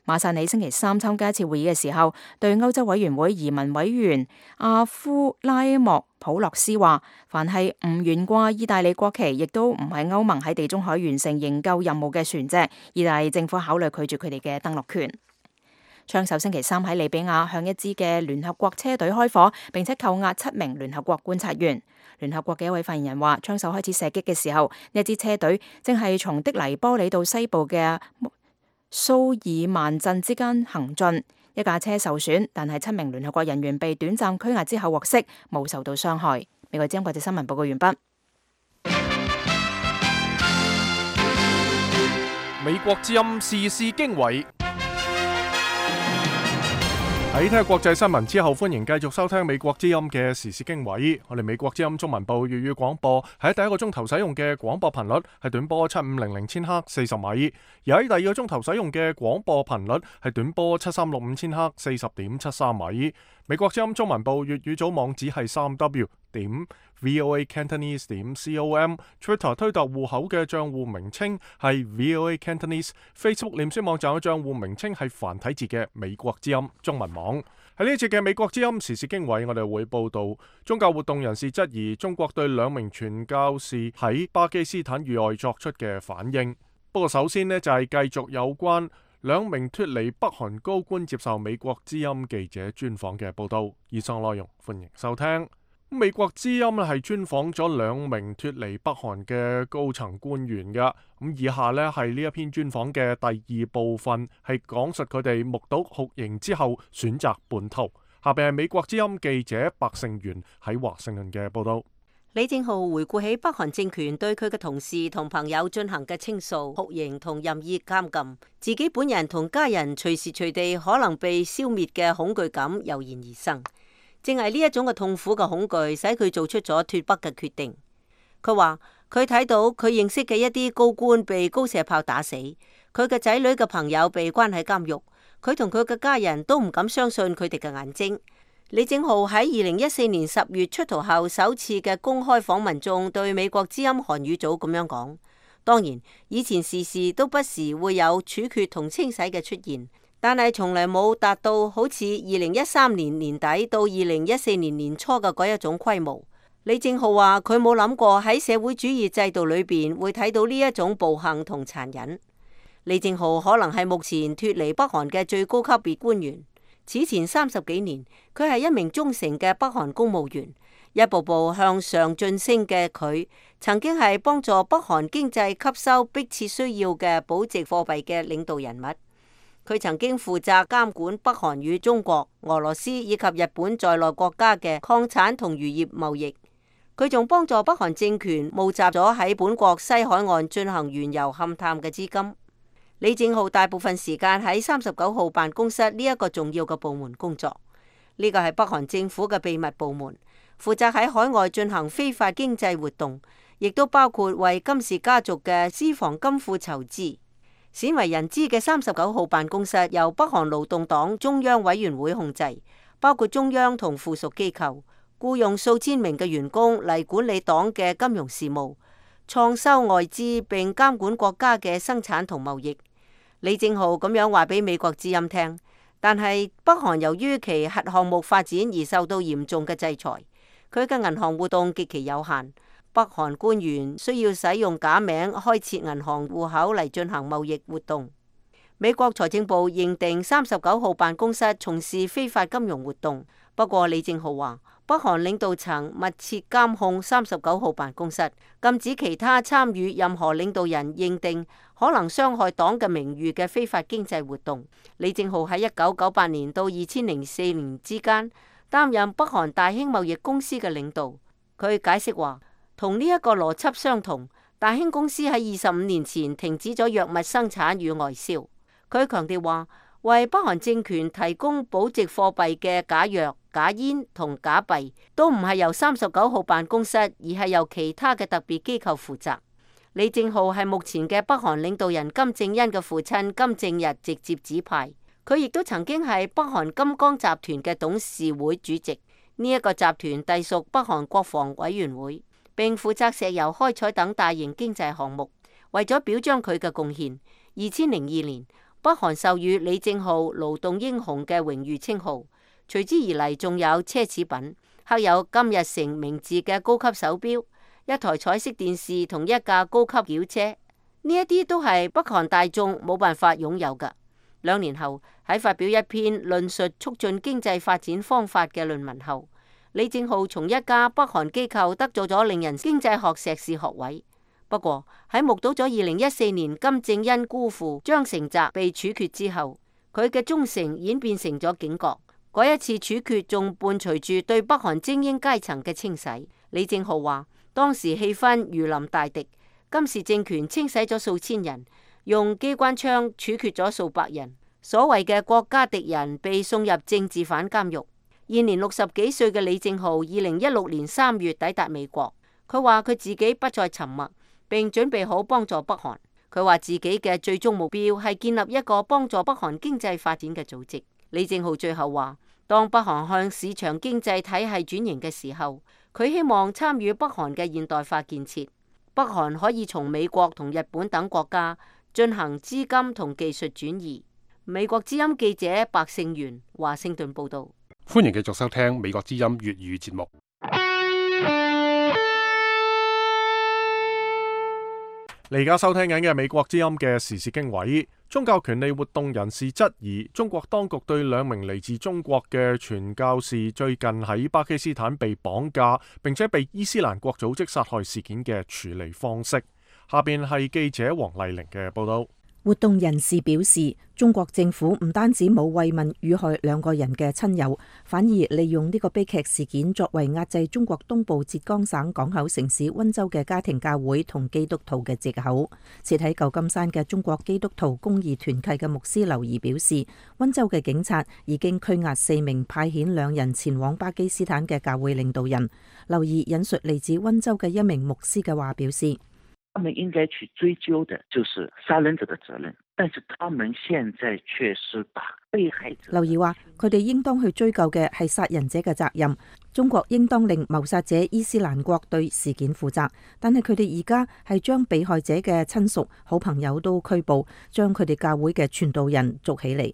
馬薩尼星期三參加一次會議嘅時候，對歐洲委員會移民委員阿夫拉莫普洛斯話：凡係唔懸掛意大利國旗，亦都唔係歐盟喺地中海完成營救任務嘅船隻，意大利政府考慮拒絕佢哋嘅登陸權。槍手星期三喺利比亞向一支嘅聯合國車隊開火，並且扣押7名聯合國觀察員。聯合國嘅一位發言人話：槍手開始射擊嘅時候，呢支車隊正係從的黎波里到西部嘅蘇爾曼鎮之間行進，一架車受損，但係7名聯合國人員被短暫拘押之後獲釋，冇受到傷害。美國之音國際新聞報告完畢。美國之音時事經緯。喺聽下國際新聞之後，歡迎繼續收聽美國之音嘅時事經緯。我哋美國之音中文部粵語廣播喺第一個鐘頭使用嘅廣播頻率係短波7500千赫40米，而喺第二個鐘頭使用嘅廣播頻率係短波7365千赫40.73米。美國之音中文部粵語組網址係3w.voacantonese.com，Twitter 推特戶口嘅賬戶名稱係 voacantonese，Facebook 臉書網站嘅賬戶名稱係繁體字嘅美國之音中文網。喺呢一節嘅美國之音時事經緯，我哋會報道宗教活動人士質疑中國對2名傳教士喺巴基斯坦遇害作出嘅反應。不過首先呢，就係繼續有關2名脫離北韓高官接受美國之音記者專訪嘅報道。以上內容歡迎收聽。美國之音係專訪咗2名脫離北韓嘅高層官員嘅。以下呢係呢一篇專訪嘅第2部分，係講述佢哋目睹酷刑之後選擇叛逃。下邊係美國之音記者白勝元喺華盛頓嘅報道。李正浩回顧起北韓政權對佢嘅同事同朋友進行嘅清掃、酷刑同任意監禁，自己本人同家人隨時隨地可能被消滅嘅恐懼感油然而生。正係呢一種嘅痛苦嘅恐懼，使佢做出咗脫北嘅決定。佢話佢睇到佢認識嘅一啲高官被高射炮打死，佢嘅仔女嘅朋友被關喺監獄，佢同佢嘅家人都唔敢相信佢哋嘅眼睛。李正浩喺2014年10月出逃後首次嘅公開訪問中，對美國之音韓語組咁樣講：當然，以前時時都不時會有處決同清洗嘅出現，但係從來冇達到好似2013年年底到2014年年初嘅嗰一種規模。李正浩話佢冇諗過喺社會主義制度裏邊會睇到呢一種暴行同殘忍。李正浩可能係目前脫離北韓嘅最高級別官員。此前30幾年，佢係一名忠誠嘅北韓公務員，一步步向上晉升嘅佢，曾經係幫助北韓經濟吸收迫切需要嘅保值貨幣嘅領導人物。佢曾經負責監管北韓與中國、俄羅斯以及日本在內國家嘅礦產同漁業貿易。佢仲幫助北韓政權募集咗喺本國西海岸進行原油勘探嘅資金。李正浩大部分時間喺39號辦公室呢一個重要嘅部門工作，呢個係北韓政府嘅秘密部門，負責喺海外進行非法經濟活動，亦都包括為金氏家族嘅私房金庫籌資。鮮為人知嘅39號辦公室由北韓勞動黨中央委員會控制，包括中央同附屬機構，僱用數千名嘅員工嚟管理黨嘅金融事務、創收外資並監管國家嘅生產同貿易。李正浩咁樣話俾美國之音聽，但係北韓由於其核項目發展而受到嚴重嘅制裁，佢嘅銀行活動極其有限。北韓官員需要使用假名開設銀行戶口嚟進行貿易活動。美國財政部認定39號辦公室從事非法金融活動，不過李正浩話，北韓領導層密切監控39號辦公室，禁止其他參與任何領導人認定可能傷害黨嘅名譽嘅非法經濟活動。李正浩喺1998年到2004年之間擔任北韓大興貿易公司嘅領導。佢解釋話，同呢一個邏輯相同，大興公司喺25年前停止咗藥物生產與外銷。佢強調話，為北韓政權提供保值貨幣嘅假藥、假煙同假幣，都唔係由39號辦公室，而係由其他嘅特別機構負責。李正浩係目前嘅北韓領導人金正恩嘅父親金正日直接指派，佢亦都曾經係北韓金剛集團嘅董事會主席。呢一個集團隸屬北韓國防委員會，並負責石油開採等大型經濟項目。為咗表彰佢嘅貢獻，2002年，北北韓授予李正浩勞動英雄嘅榮譽稱號，隨之而嚟仲有奢侈品，刻有金日成名字嘅高級手錶、一台彩色電視同一架高級轎車，呢一啲都係北韓大眾冇辦法擁有㗎。2年後，喺發表一篇論述促進經濟發展方法嘅論文後，李正浩從一家北韓機構得咗令人經濟學碩士學位。不過喺目睹咗2014年金正恩姑父張成澤被處決之後，佢嘅忠誠演變成咗警覺。嗰一次處決仲伴隨住對北韓精英階層嘅清洗。李正浩話，當時氣氛如臨大敵，金氏政權清洗咗數千人，用機關槍處決咗數百人，所謂嘅國家敵人被送入政治犯監獄。現年60幾歲嘅李正浩2016年3月抵達美國，佢話佢自己不再沉默，並準備好幫助北韓。佢話自己嘅最終目標係建立一個幫助北韓經濟發展嘅組織。李正浩最後話，當北韓向市場經濟體系轉型嘅時候，佢希望參與北韓嘅現代化建設。北韓可以從美國同日本等國家進行資金同技術轉移。美國之音記者白勝元華盛頓報道。歡迎繼續收聽美國之音粵語節目。你而家收聽緊嘅美國之音嘅時事經緯。宗教權利活動人士質疑中國當局對2名嚟自中國嘅傳教士最近喺巴基斯坦被綁架並且被伊斯蘭國組織殺害事件嘅處理方式。下邊係記者黃麗玲嘅報道。活動人士表示，中國政府唔單止冇慰問遇害2個人嘅親友，反而利用呢個悲劇事件作為壓制中國東部浙江省港口城市溫州嘅家庭教會同基督徒嘅藉口。設喺舊金山嘅中國基督徒公義團契嘅牧師劉儀表示，溫州嘅警察已經拘押4名派遣2人前往巴基斯坦嘅教會領導人。劉儀引述嚟自溫州嘅一名牧師嘅話表示，他們應該去追究的就是殺人者的責任，但是他們現在卻是把被害者。劉儀話，佢哋應當去追究嘅係殺人者嘅責任，中國應當令謀殺者伊斯蘭國對事件負責，但係佢哋而家係將被害者嘅親屬、好朋友都拘捕，將佢哋教會嘅傳道人捉起嚟。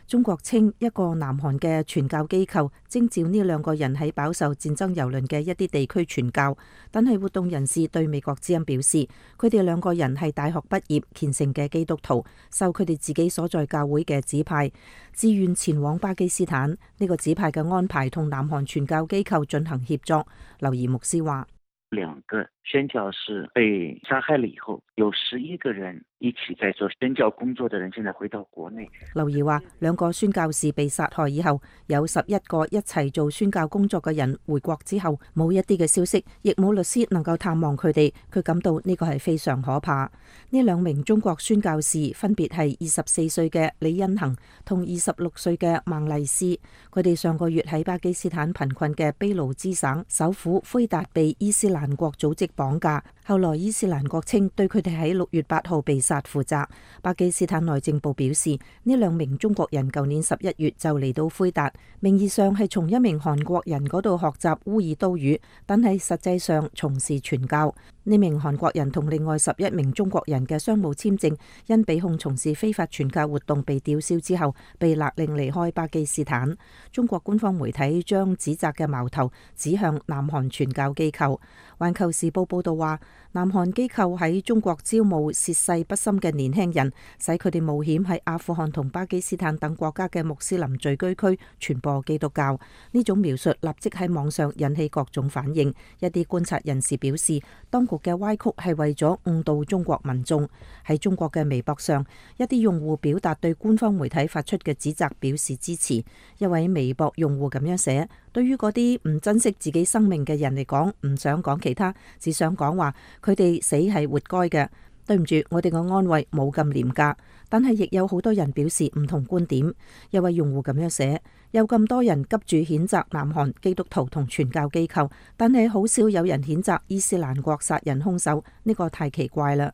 中國稱一個南韓嘅傳教機構徵召呢2個人喺飽受戰爭蹂躪嘅一啲地區傳教，但係活動人士對美國之音表示，佢哋2個人係大學畢業虔誠嘅基督徒，受佢哋自己所在教會嘅指派，自願前往巴基斯坦。呢個指派嘅安排同南韓傳教機構進行協作。劉儀牧師話，2個宣教士被殺害了以後，有11個人一起在做宣教工作的人，現在回到國內。劉儀話，2個宣教士被殺害以後，有11個一齊做宣教工作嘅人回國之後，冇一啲嘅消息，亦冇律師能夠探望佢哋。佢感到呢個係非常可怕。呢2名中國宣教士分別係24歲嘅李恩恒同26歲嘅孟麗斯。佢哋上個月喺巴基斯坦貧困嘅俾路支省首府奎達被伊斯蘭國組織綁架，後來伊斯蘭國稱對佢哋喺6月8號被殺負責。巴基斯坦內政部表示，呢2名中國人舊年11月就嚟到奎達，名義上係從一名韓國人嗰度學習烏爾都語，但係實際上從事傳教。呢名韓國人同另外11名中國人嘅商務簽證因被控從事非法傳教活動被吊銷之後，被勒令離開巴基斯坦。中國官方媒體將指責嘅矛頭指向南韓傳教機構。環球時報報道話，南韓機構喺中國招募涉世不深嘅年輕人，使佢哋冒險喺阿富汗同巴基斯坦等國家嘅穆斯林聚居區傳播基督教。呢種描述立即喺網上引起各種反應。一啲觀察人士表示，當局嘅歪曲係為咗誤導中國民眾。喺中國嘅微博上，一啲用戶表達對官方媒體發出嘅指責表示支持。一位微博用戶咁樣寫：對於嗰啲唔珍惜自己生命嘅人嚟講，唔想講其他，只想講話佢哋死係活該嘅。對唔住，我哋嘅安慰冇咁廉價。但係亦有好多人表示唔同觀點。一位用戶咁樣寫：有咁多人急住譴責南韓基督徒同傳教機構，但係好少有人譴責伊斯蘭國殺人兇手，呢個太奇怪啦。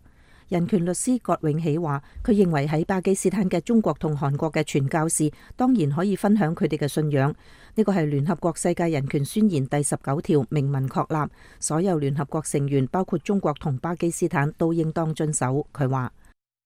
人權律師葛永喜話，佢認為喺巴基斯坦嘅中國同韓國嘅傳教士當然可以分享佢哋嘅信仰，呢個係聯合國世界人權宣言第19條明文確立，所有聯合國成員包括中國同巴基斯坦都應當遵守。佢話。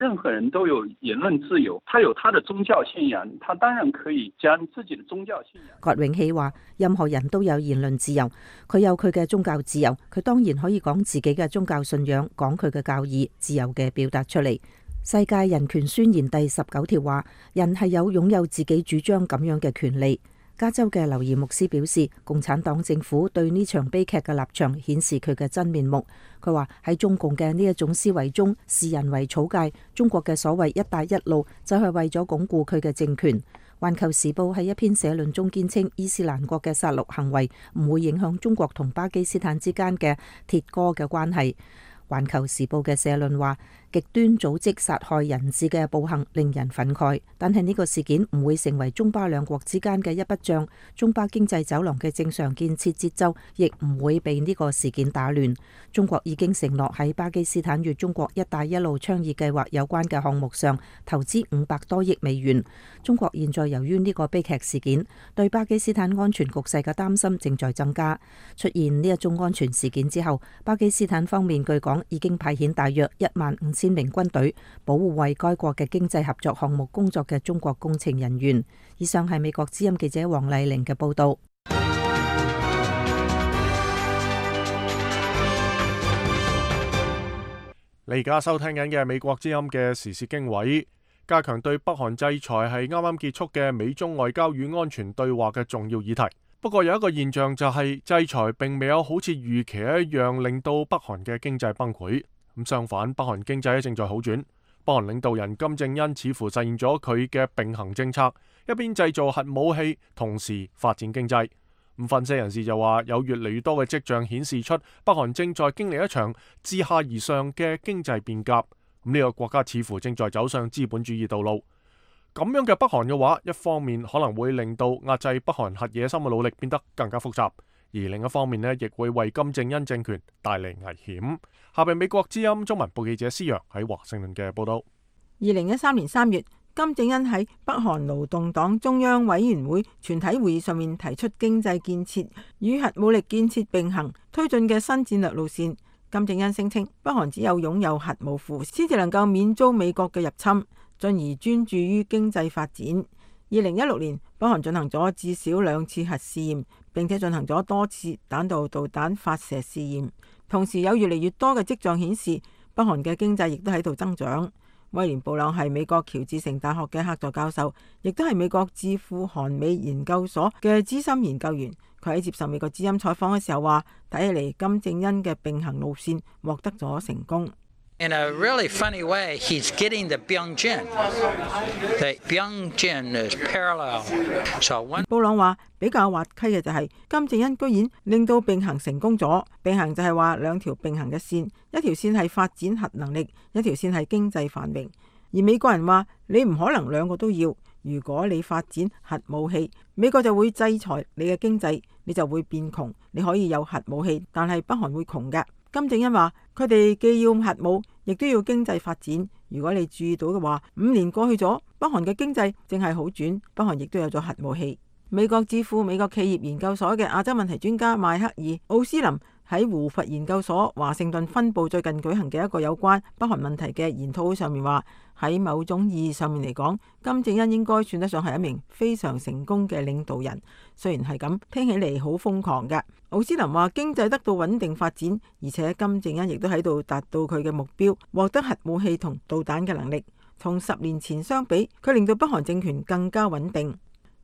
任何人都有言論自由，他有他的宗教信仰，他當然可以將自己的宗教信仰。郭永喜話：任何人都有言論自由，佢有佢嘅宗教自由，佢當然可以講自己嘅宗教信仰，講佢嘅教義，自由嘅表達出嚟。世界人權宣言第19條話：人係有擁有自己主張咁樣嘅權利。加州嘅劉怡牧師表示，共產黨政府對呢場悲劇嘅立場顯示佢嘅真面目。佢話喺中共嘅呢一種思維中，視人為草芥，中國嘅所謂一帶一路就係為咗鞏固佢嘅政權。環球時報喺一篇社論中堅稱，伊斯蘭國嘅殺戮行為唔會影響中國同巴基斯坦之間嘅鐵哥嘅關係。環球時報嘅社論話，極端組織殺害人質嘅暴行令人憤慨，但係呢個事件唔會成為中巴兩國之間嘅一筆帳，中巴經濟走廊嘅正常建設節奏亦唔會被呢個事件打亂。中國已經承諾喺巴基斯坦與中國一帶一路倡議計劃有關嘅項目上投資500多億美元。中國現在由於呢個悲劇事件，對巴基斯坦安全局勢嘅擔心正在增加。出現呢一宗安全事件之後，巴基斯坦方面據講已經派遣大約15000名軍隊保護為該國嘅經濟合作項目工作嘅中國工程人員。以上係美國之音記者黃麗玲嘅報道。你而家收聽緊嘅係美國之音嘅時事經緯，加強對北韓制裁係啱啱結束嘅美中外交與安全對話嘅重要議題。不過有一個現象就係制裁並未有好似預期一樣令到北韓嘅經濟崩潰。咁相反，北韓經濟正在好轉。北韓領導人金正恩似乎實現咗佢嘅並行政策，一邊製造核武器，同時發展經濟。咁分析人士就話，有越嚟越多嘅跡象顯示出北韓正在經歷一場自下而上嘅經濟變革。咁呢個國家似乎正在走上資本主義道路。咁樣嘅北韓嘅話，一方面可能會令到壓制北韓核野心嘅努力變得更加複雜，而另一方面呢，亦會為金正恩政權帶嚟危險。下邊美國之音中文部記者施洋喺華盛頓嘅報道。2013年3月，金正恩喺北韓勞動黨中央委員會全體會議上面提出經濟建設與核武力建設並行推進嘅新戰略路線。金正恩聲稱，北韓只有擁有核武庫先至能夠免遭美國嘅入侵，進而專注於經濟發展。2016年，北韓進行咗至少2次核試驗，並且進行咗多次彈道導彈發射試驗。同時有越嚟越多嘅跡象顯示，北韓嘅經濟亦都喺度增長。威廉布朗係美國喬治城大學嘅客座教授，亦都係美國智庫韓美研究所嘅資深研究員。佢喺接受美國之音採訪嘅時候話，睇起嚟金正恩嘅並行路線獲得咗成功。In a really funny way, he's getting the Byungjin. The Byungjin is parallel. So one. 布朗話比較滑稽嘅就係金正恩居然令到並行成功咗。並行就係話兩條並行嘅線，一條線係發展核能力，一條線係經濟繁榮。而美國人話你唔可能兩個都要，如果你發展核武器，美國就會制裁你嘅經濟，你就會變窮。你可以有核武器，但係北韓會窮㗎。金正恩話佢哋既要核武，亦都要經濟發展。如果你注意到嘅話，5年過去咗，北韓嘅經濟正係好轉，北韓亦都有咗核武器。美國智庫美國企業研究所嘅亞洲問題專家邁克爾·奧斯林喺胡佛研究所華盛頓分部最近舉行嘅一個有關北韓問題嘅研討會上面話，喺某種意義上面嚟講，金正恩應該算得上係一名非常成功嘅領導人。雖然係咁，聽起嚟好瘋狂嘅。奧斯林話經濟得到穩定發展，而且金正恩亦都喺度達到佢嘅目標，獲得核武器同導彈嘅能力。同10年前相比，佢令到北韓政權更加穩定。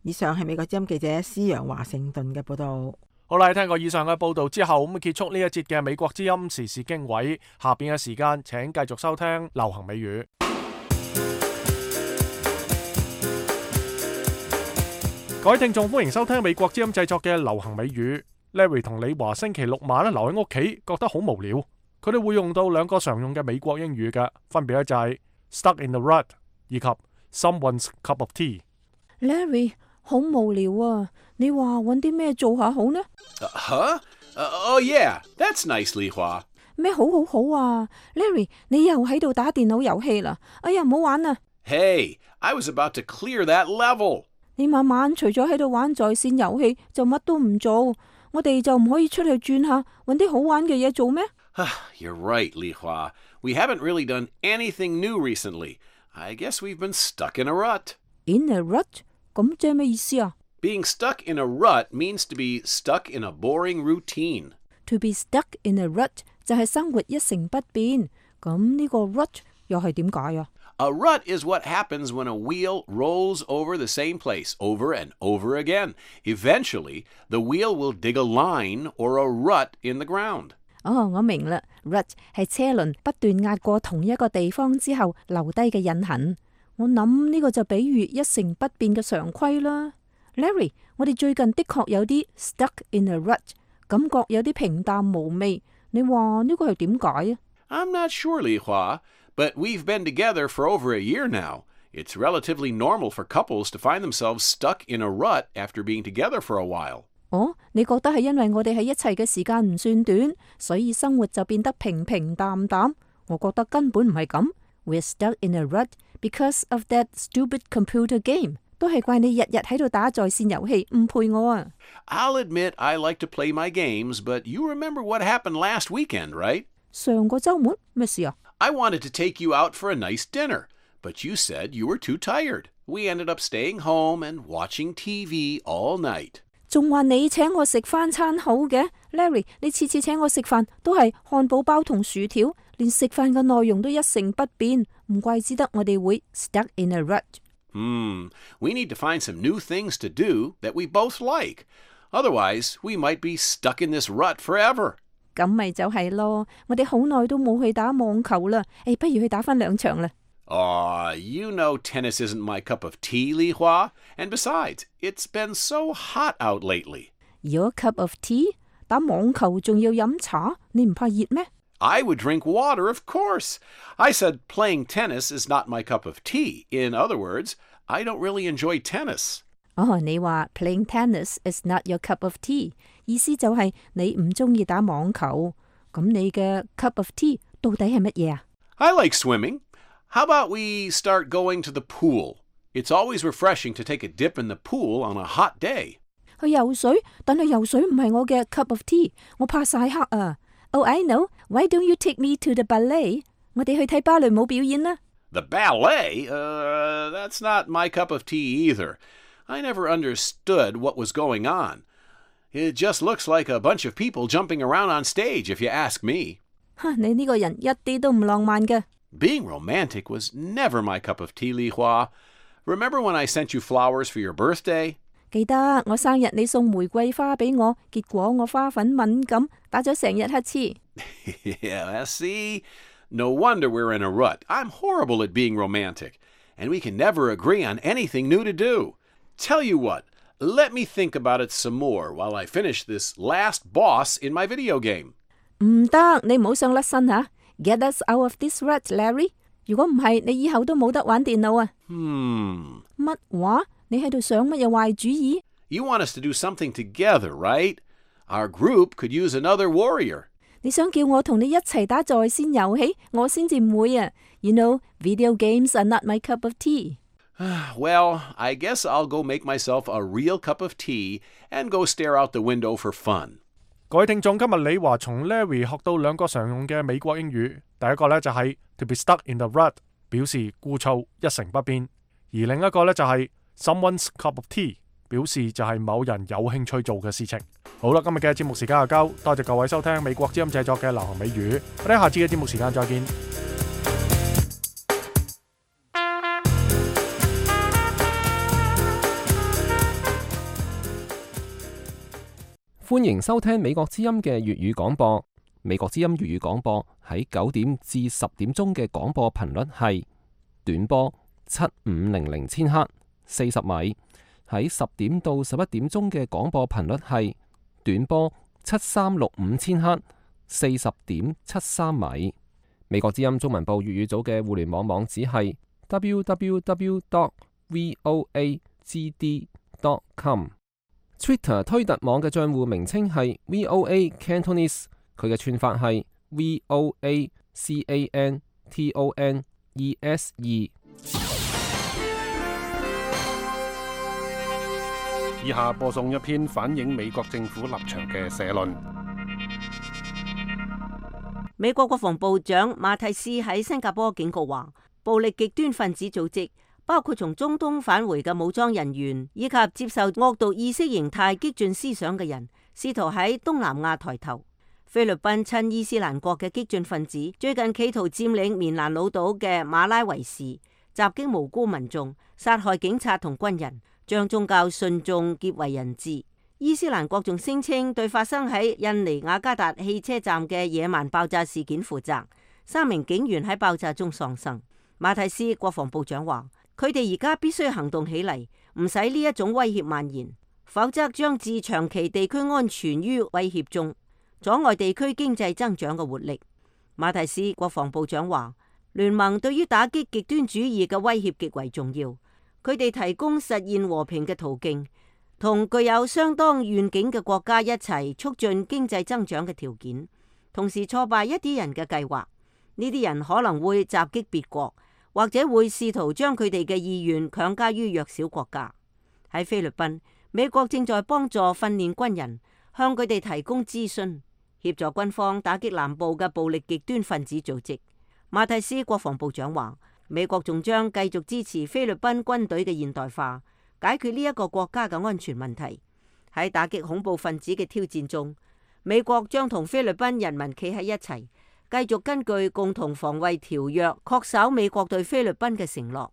以上係美國之音記者施洋華盛頓嘅報道。好啦，聽過以上嘅報道之後，咁結束呢一節嘅美國之音時事經緯。下邊嘅時間，請繼續收聽流行美語。各位聽眾，歡迎收聽美國之音製作嘅流行美語。Larry 同李華星期六晚留喺屋企，覺得好無聊。佢哋會用到2個常用嘅美國英語嘅，分別咧就係 stuck in the rut 以及 someone's cup of tea。Larry， 好無聊啊！你話揾啲咩做下好呢？Oh yeah, that's nice, 李華。咩好啊 ？Larry， 你又喺度打電腦遊戲啦！哎呀，唔好玩啦 ！Hey, I was about to clear that level。你晚晚除咗喺度玩在線遊戲，就乜都唔做。我哋就唔可以出去轉下，揾啲好玩嘅嘢做咩 You're right, Li Hua. We haven't really done anything new recently. I guess we've been stuck in a rut. In a rut? 咁即係咩意思啊？ Being stuck in a rut means to be stuck in a boring routine. To be stuck in a rut 就係生活一成不變。咁呢個 rut 又係點解啊？ A rut is what happens when a wheel rolls over the same place over and over again. Eventually, the wheel will dig a line or a rut in the ground. 哦，我明啦 ，rut 係車輪不斷壓過同一個地方之後留低嘅印痕。我諗呢個就比喻一成不變嘅常規啦。Larry， 我哋最近的確有啲 stuck in a rut， 感覺有啲平淡無味。你話呢個係點解啊？ I'm not sure, Li Hua, but we've been together for over a year now. It's relatively normal for couples to find themselves stuck in a rut after being together for a while. 哦，你覺得係因為我哋喺一齊嘅時間唔算短，所以生活就變得平平淡淡？我覺得根本唔係咁。We're stuck in a rut because of that stupid computer game. 都係怪你日日喺度打在線遊戲，唔陪我啊！ I'll admit I like to play my games, but you remember what happened last weekend, right? 上個週末咩事啊？ I wanted to take you out for a nice dinner, but you said you were too tired. We ended up staying home and watching TV all night. 仲話你請我食翻餐好嘅 ，Larry， 你次次請我食飯都係漢堡包同薯條，連食飯嘅內容都一成不變，唔怪之得我哋會 stuck in a rut。We need to find some new things to do that we both like. Otherwise, we might be stuck in this rut forever. 咁咪就係咯，我哋好耐都冇去打網球啦，不如去打翻2場啦。You know tennis isn't my cup of tea, Li Hua. And besides, it's been so hot out lately. Your cup of tea? 打網球仲要飲茶，你唔怕熱咩？ I would drink water, of course. I said playing tennis is not my cup of tea. In other words, I don't really enjoy tennis. 你話 playing tennis is not your cup of tea， 意思就係你唔中意打網球。咁你嘅 cup of tea 到底係乜嘢啊？ I like swimming. How about we start going to the pool? It's always refreshing to take a dip in the pool on a hot day. 去游水，但係游水唔係我嘅 cup of tea， 我怕曬黑啊。Oh, I know. Why don't you take me to the ballet? 我哋去睇芭蕾舞表演啦。The ballet? That's not my cup of tea either. I never understood what was going on. It just looks like a bunch of people jumping around on stage, if you ask me. 你呢個人一啲都唔浪漫嘅。Being romantic was never my cup of tea, Li Hua. Remember when I sent you flowers for your birthday? 記得我生日你送玫瑰花俾我，結果我花粉敏感，打咗成日乞嗤。Yeah, see? No wonder we're in a rut. I'm horrible at being romantic. And we can never agree on anything new to do. Tell you what, let me think about it some more while I finish this last boss in my video game. 唔得，你唔好想甩身吓。Get us out of this rut, Larry. 如果唔係，你以後都冇得玩電腦啊。乜話？你喺度想乜嘢壞主意？ You want us to do something together, right? Our group could use another warrior. 你想叫我同你一齊打在線遊戲，我先至唔會啊。You know, video games are not my cup of tea. Well, I guess I'll go make myself a real cup of tea and go stare out the window for fun. 各位聽眾，今日李華從 Larry 學到2個常用嘅美國英語。第一個呢就係 to be stuck in the rut， 表示枯燥一成不變；而另一個呢就係 someone's cup of tea， 表示就係某人有興趣做嘅事情。好啦，今日嘅節目時間就夠，多謝各位收聽美國之音製作嘅流行美語。我哋下次嘅節目時間再見。歡迎收聽美國之音嘅粵語廣播。美國之音粵語廣播喺9點至10點鐘嘅廣播頻率係短波7500千赫40米，喺10點到11點鐘嘅廣播頻率係短波7365千赫40.73米。美國之音中文部粵語組嘅互聯網網址係 www.voagd.com。Twitter 推特網嘅賬戶名稱係 VOA Cantonese， 佢嘅串法係 VOACANTONESE。以下播送一篇反映美國政府立場嘅社論。美國國防部長馬蒂斯喺新加坡警告話，暴力極端分子組織包括從中東返回嘅武裝人員，以及接受惡毒意識形態激進思想嘅人，試圖喺東南亞抬頭。菲律賓親伊斯蘭國嘅激進分子最近企圖佔領棉蘭老島嘅馬拉維士，襲擊無辜民眾，殺害警察同軍人，將宗教信眾劫為人質。伊斯蘭國仲聲稱對發生喺印尼雅加達汽車站嘅野蠻爆炸事件負責，3名警員喺爆炸中喪生。馬蒂斯國防部長話，佢哋而家必須行動起嚟，唔使呢一種威脅蔓延，否則將置長期地區安全於威脅中，阻礙地區經濟增長嘅活力。馬蒂斯國防部長話，聯盟對於打擊極端主義嘅威脅極為重要，佢哋提供實現和平嘅途徑，同具有相當願景嘅國家一齊促進經濟增長嘅條件，同時挫敗一啲人嘅計劃。呢啲人可能會襲擊別國，或者會試圖將佢哋嘅意願強加於弱小國家。喺菲律賓，美國正在幫助訓練軍人，向佢哋提供諮詢，協助軍方打擊南部嘅暴力極端分子組織。馬蒂斯國防部長話，美國仲將繼續支持菲律賓軍隊嘅現代化，解決呢一個國家嘅安全問題。喺打擊恐怖分子嘅挑戰中，美國將同菲律賓人民企喺一齊，繼續根據共同防衛條約恪守美國對菲律賓嘅承諾。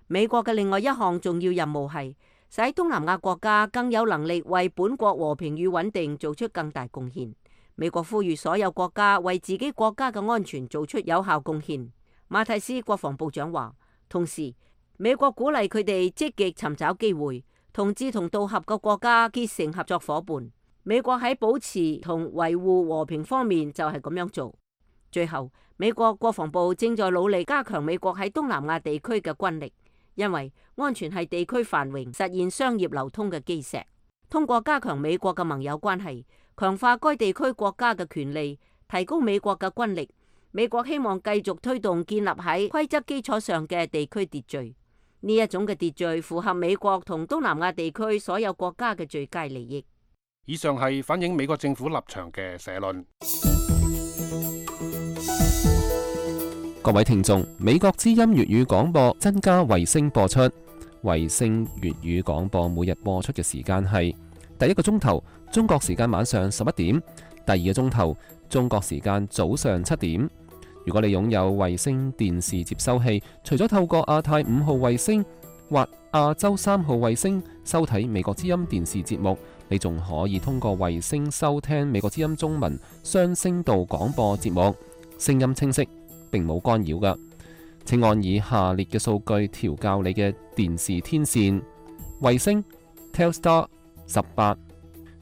美國嘅另外一項重要任務係使東南亞國家更有能力為本國和平與穩定做出更大貢獻。美國呼籲所有國家為自己國家嘅安全做出有效貢獻。馬蒂斯國防部長話，同時美國鼓勵佢哋積極尋找機會，同志同道合嘅國家結成合作夥伴。美國喺保持同維護和平方面就係咁樣做。最後，美國國防部正在努力加強美國喺東南亞地區嘅軍力，因為安全係地區繁榮、實現商業流通嘅基石。通過加強美國嘅盟友關係，強化該地區國家嘅權利，提高美國嘅軍力，美國希望繼續推動建立喺規則基礎上嘅地區秩序。呢一種嘅秩序符合美國同東南亞地區所有國家嘅最佳利益。以上係反映美國政府立場嘅社論。各位聽眾，美國之音粵語廣播增加衛星播出。衛星粵語廣播每日播出嘅時間係第一個鐘頭中國時間晚上11點，第二個鐘頭中國時間早上7點。如果你擁有衛星電視接收器，除咗透過亞太5號衛星或亞洲3號衛星收睇美國之音電視節目，你仲可以通過衛星收聽美國之音中文雙聲道廣播節目，聲音清晰，並冇干擾㗎。請按以下列嘅數據調校你嘅電視天線：衛星 Telstar 18，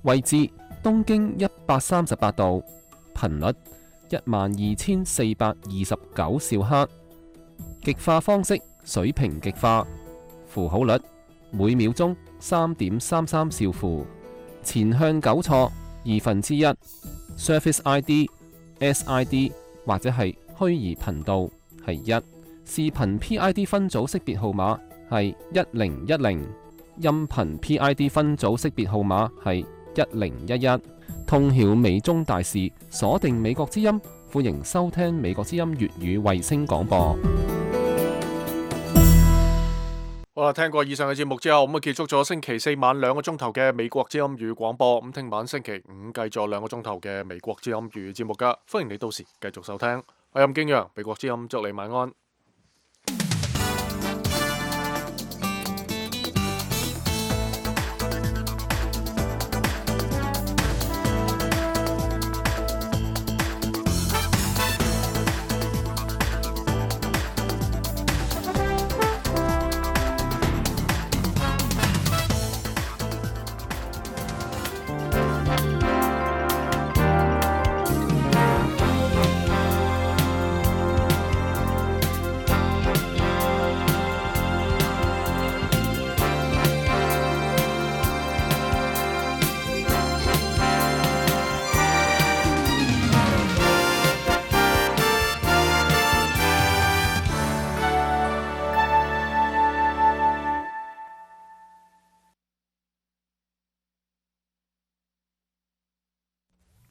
位置東經138度，頻率12429兆赫，極化方式水平極化，符號率每秒鐘3.33兆符，前向糾錯1/2， Surface ID、SID 或者係虛擬頻道係1，視頻 PID 分組識別號碼係1010，音頻 PID 分組識別號碼係1011。通曉美中大事，鎖定美國之音，歡迎收聽美國之音粵語衛星廣播。好啦，聽過以上嘅節目之後，咁啊結束咗星期四晚2個鐘頭嘅美國之音粵語廣播。咁聽晚星期五繼續2個鐘頭嘅美國之音粵語節目噶，歡迎你到時繼續收聽。我係任敬陽，美國之音，祝你晚安。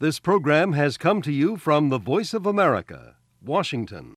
This program has come to you from the Voice of America, Washington.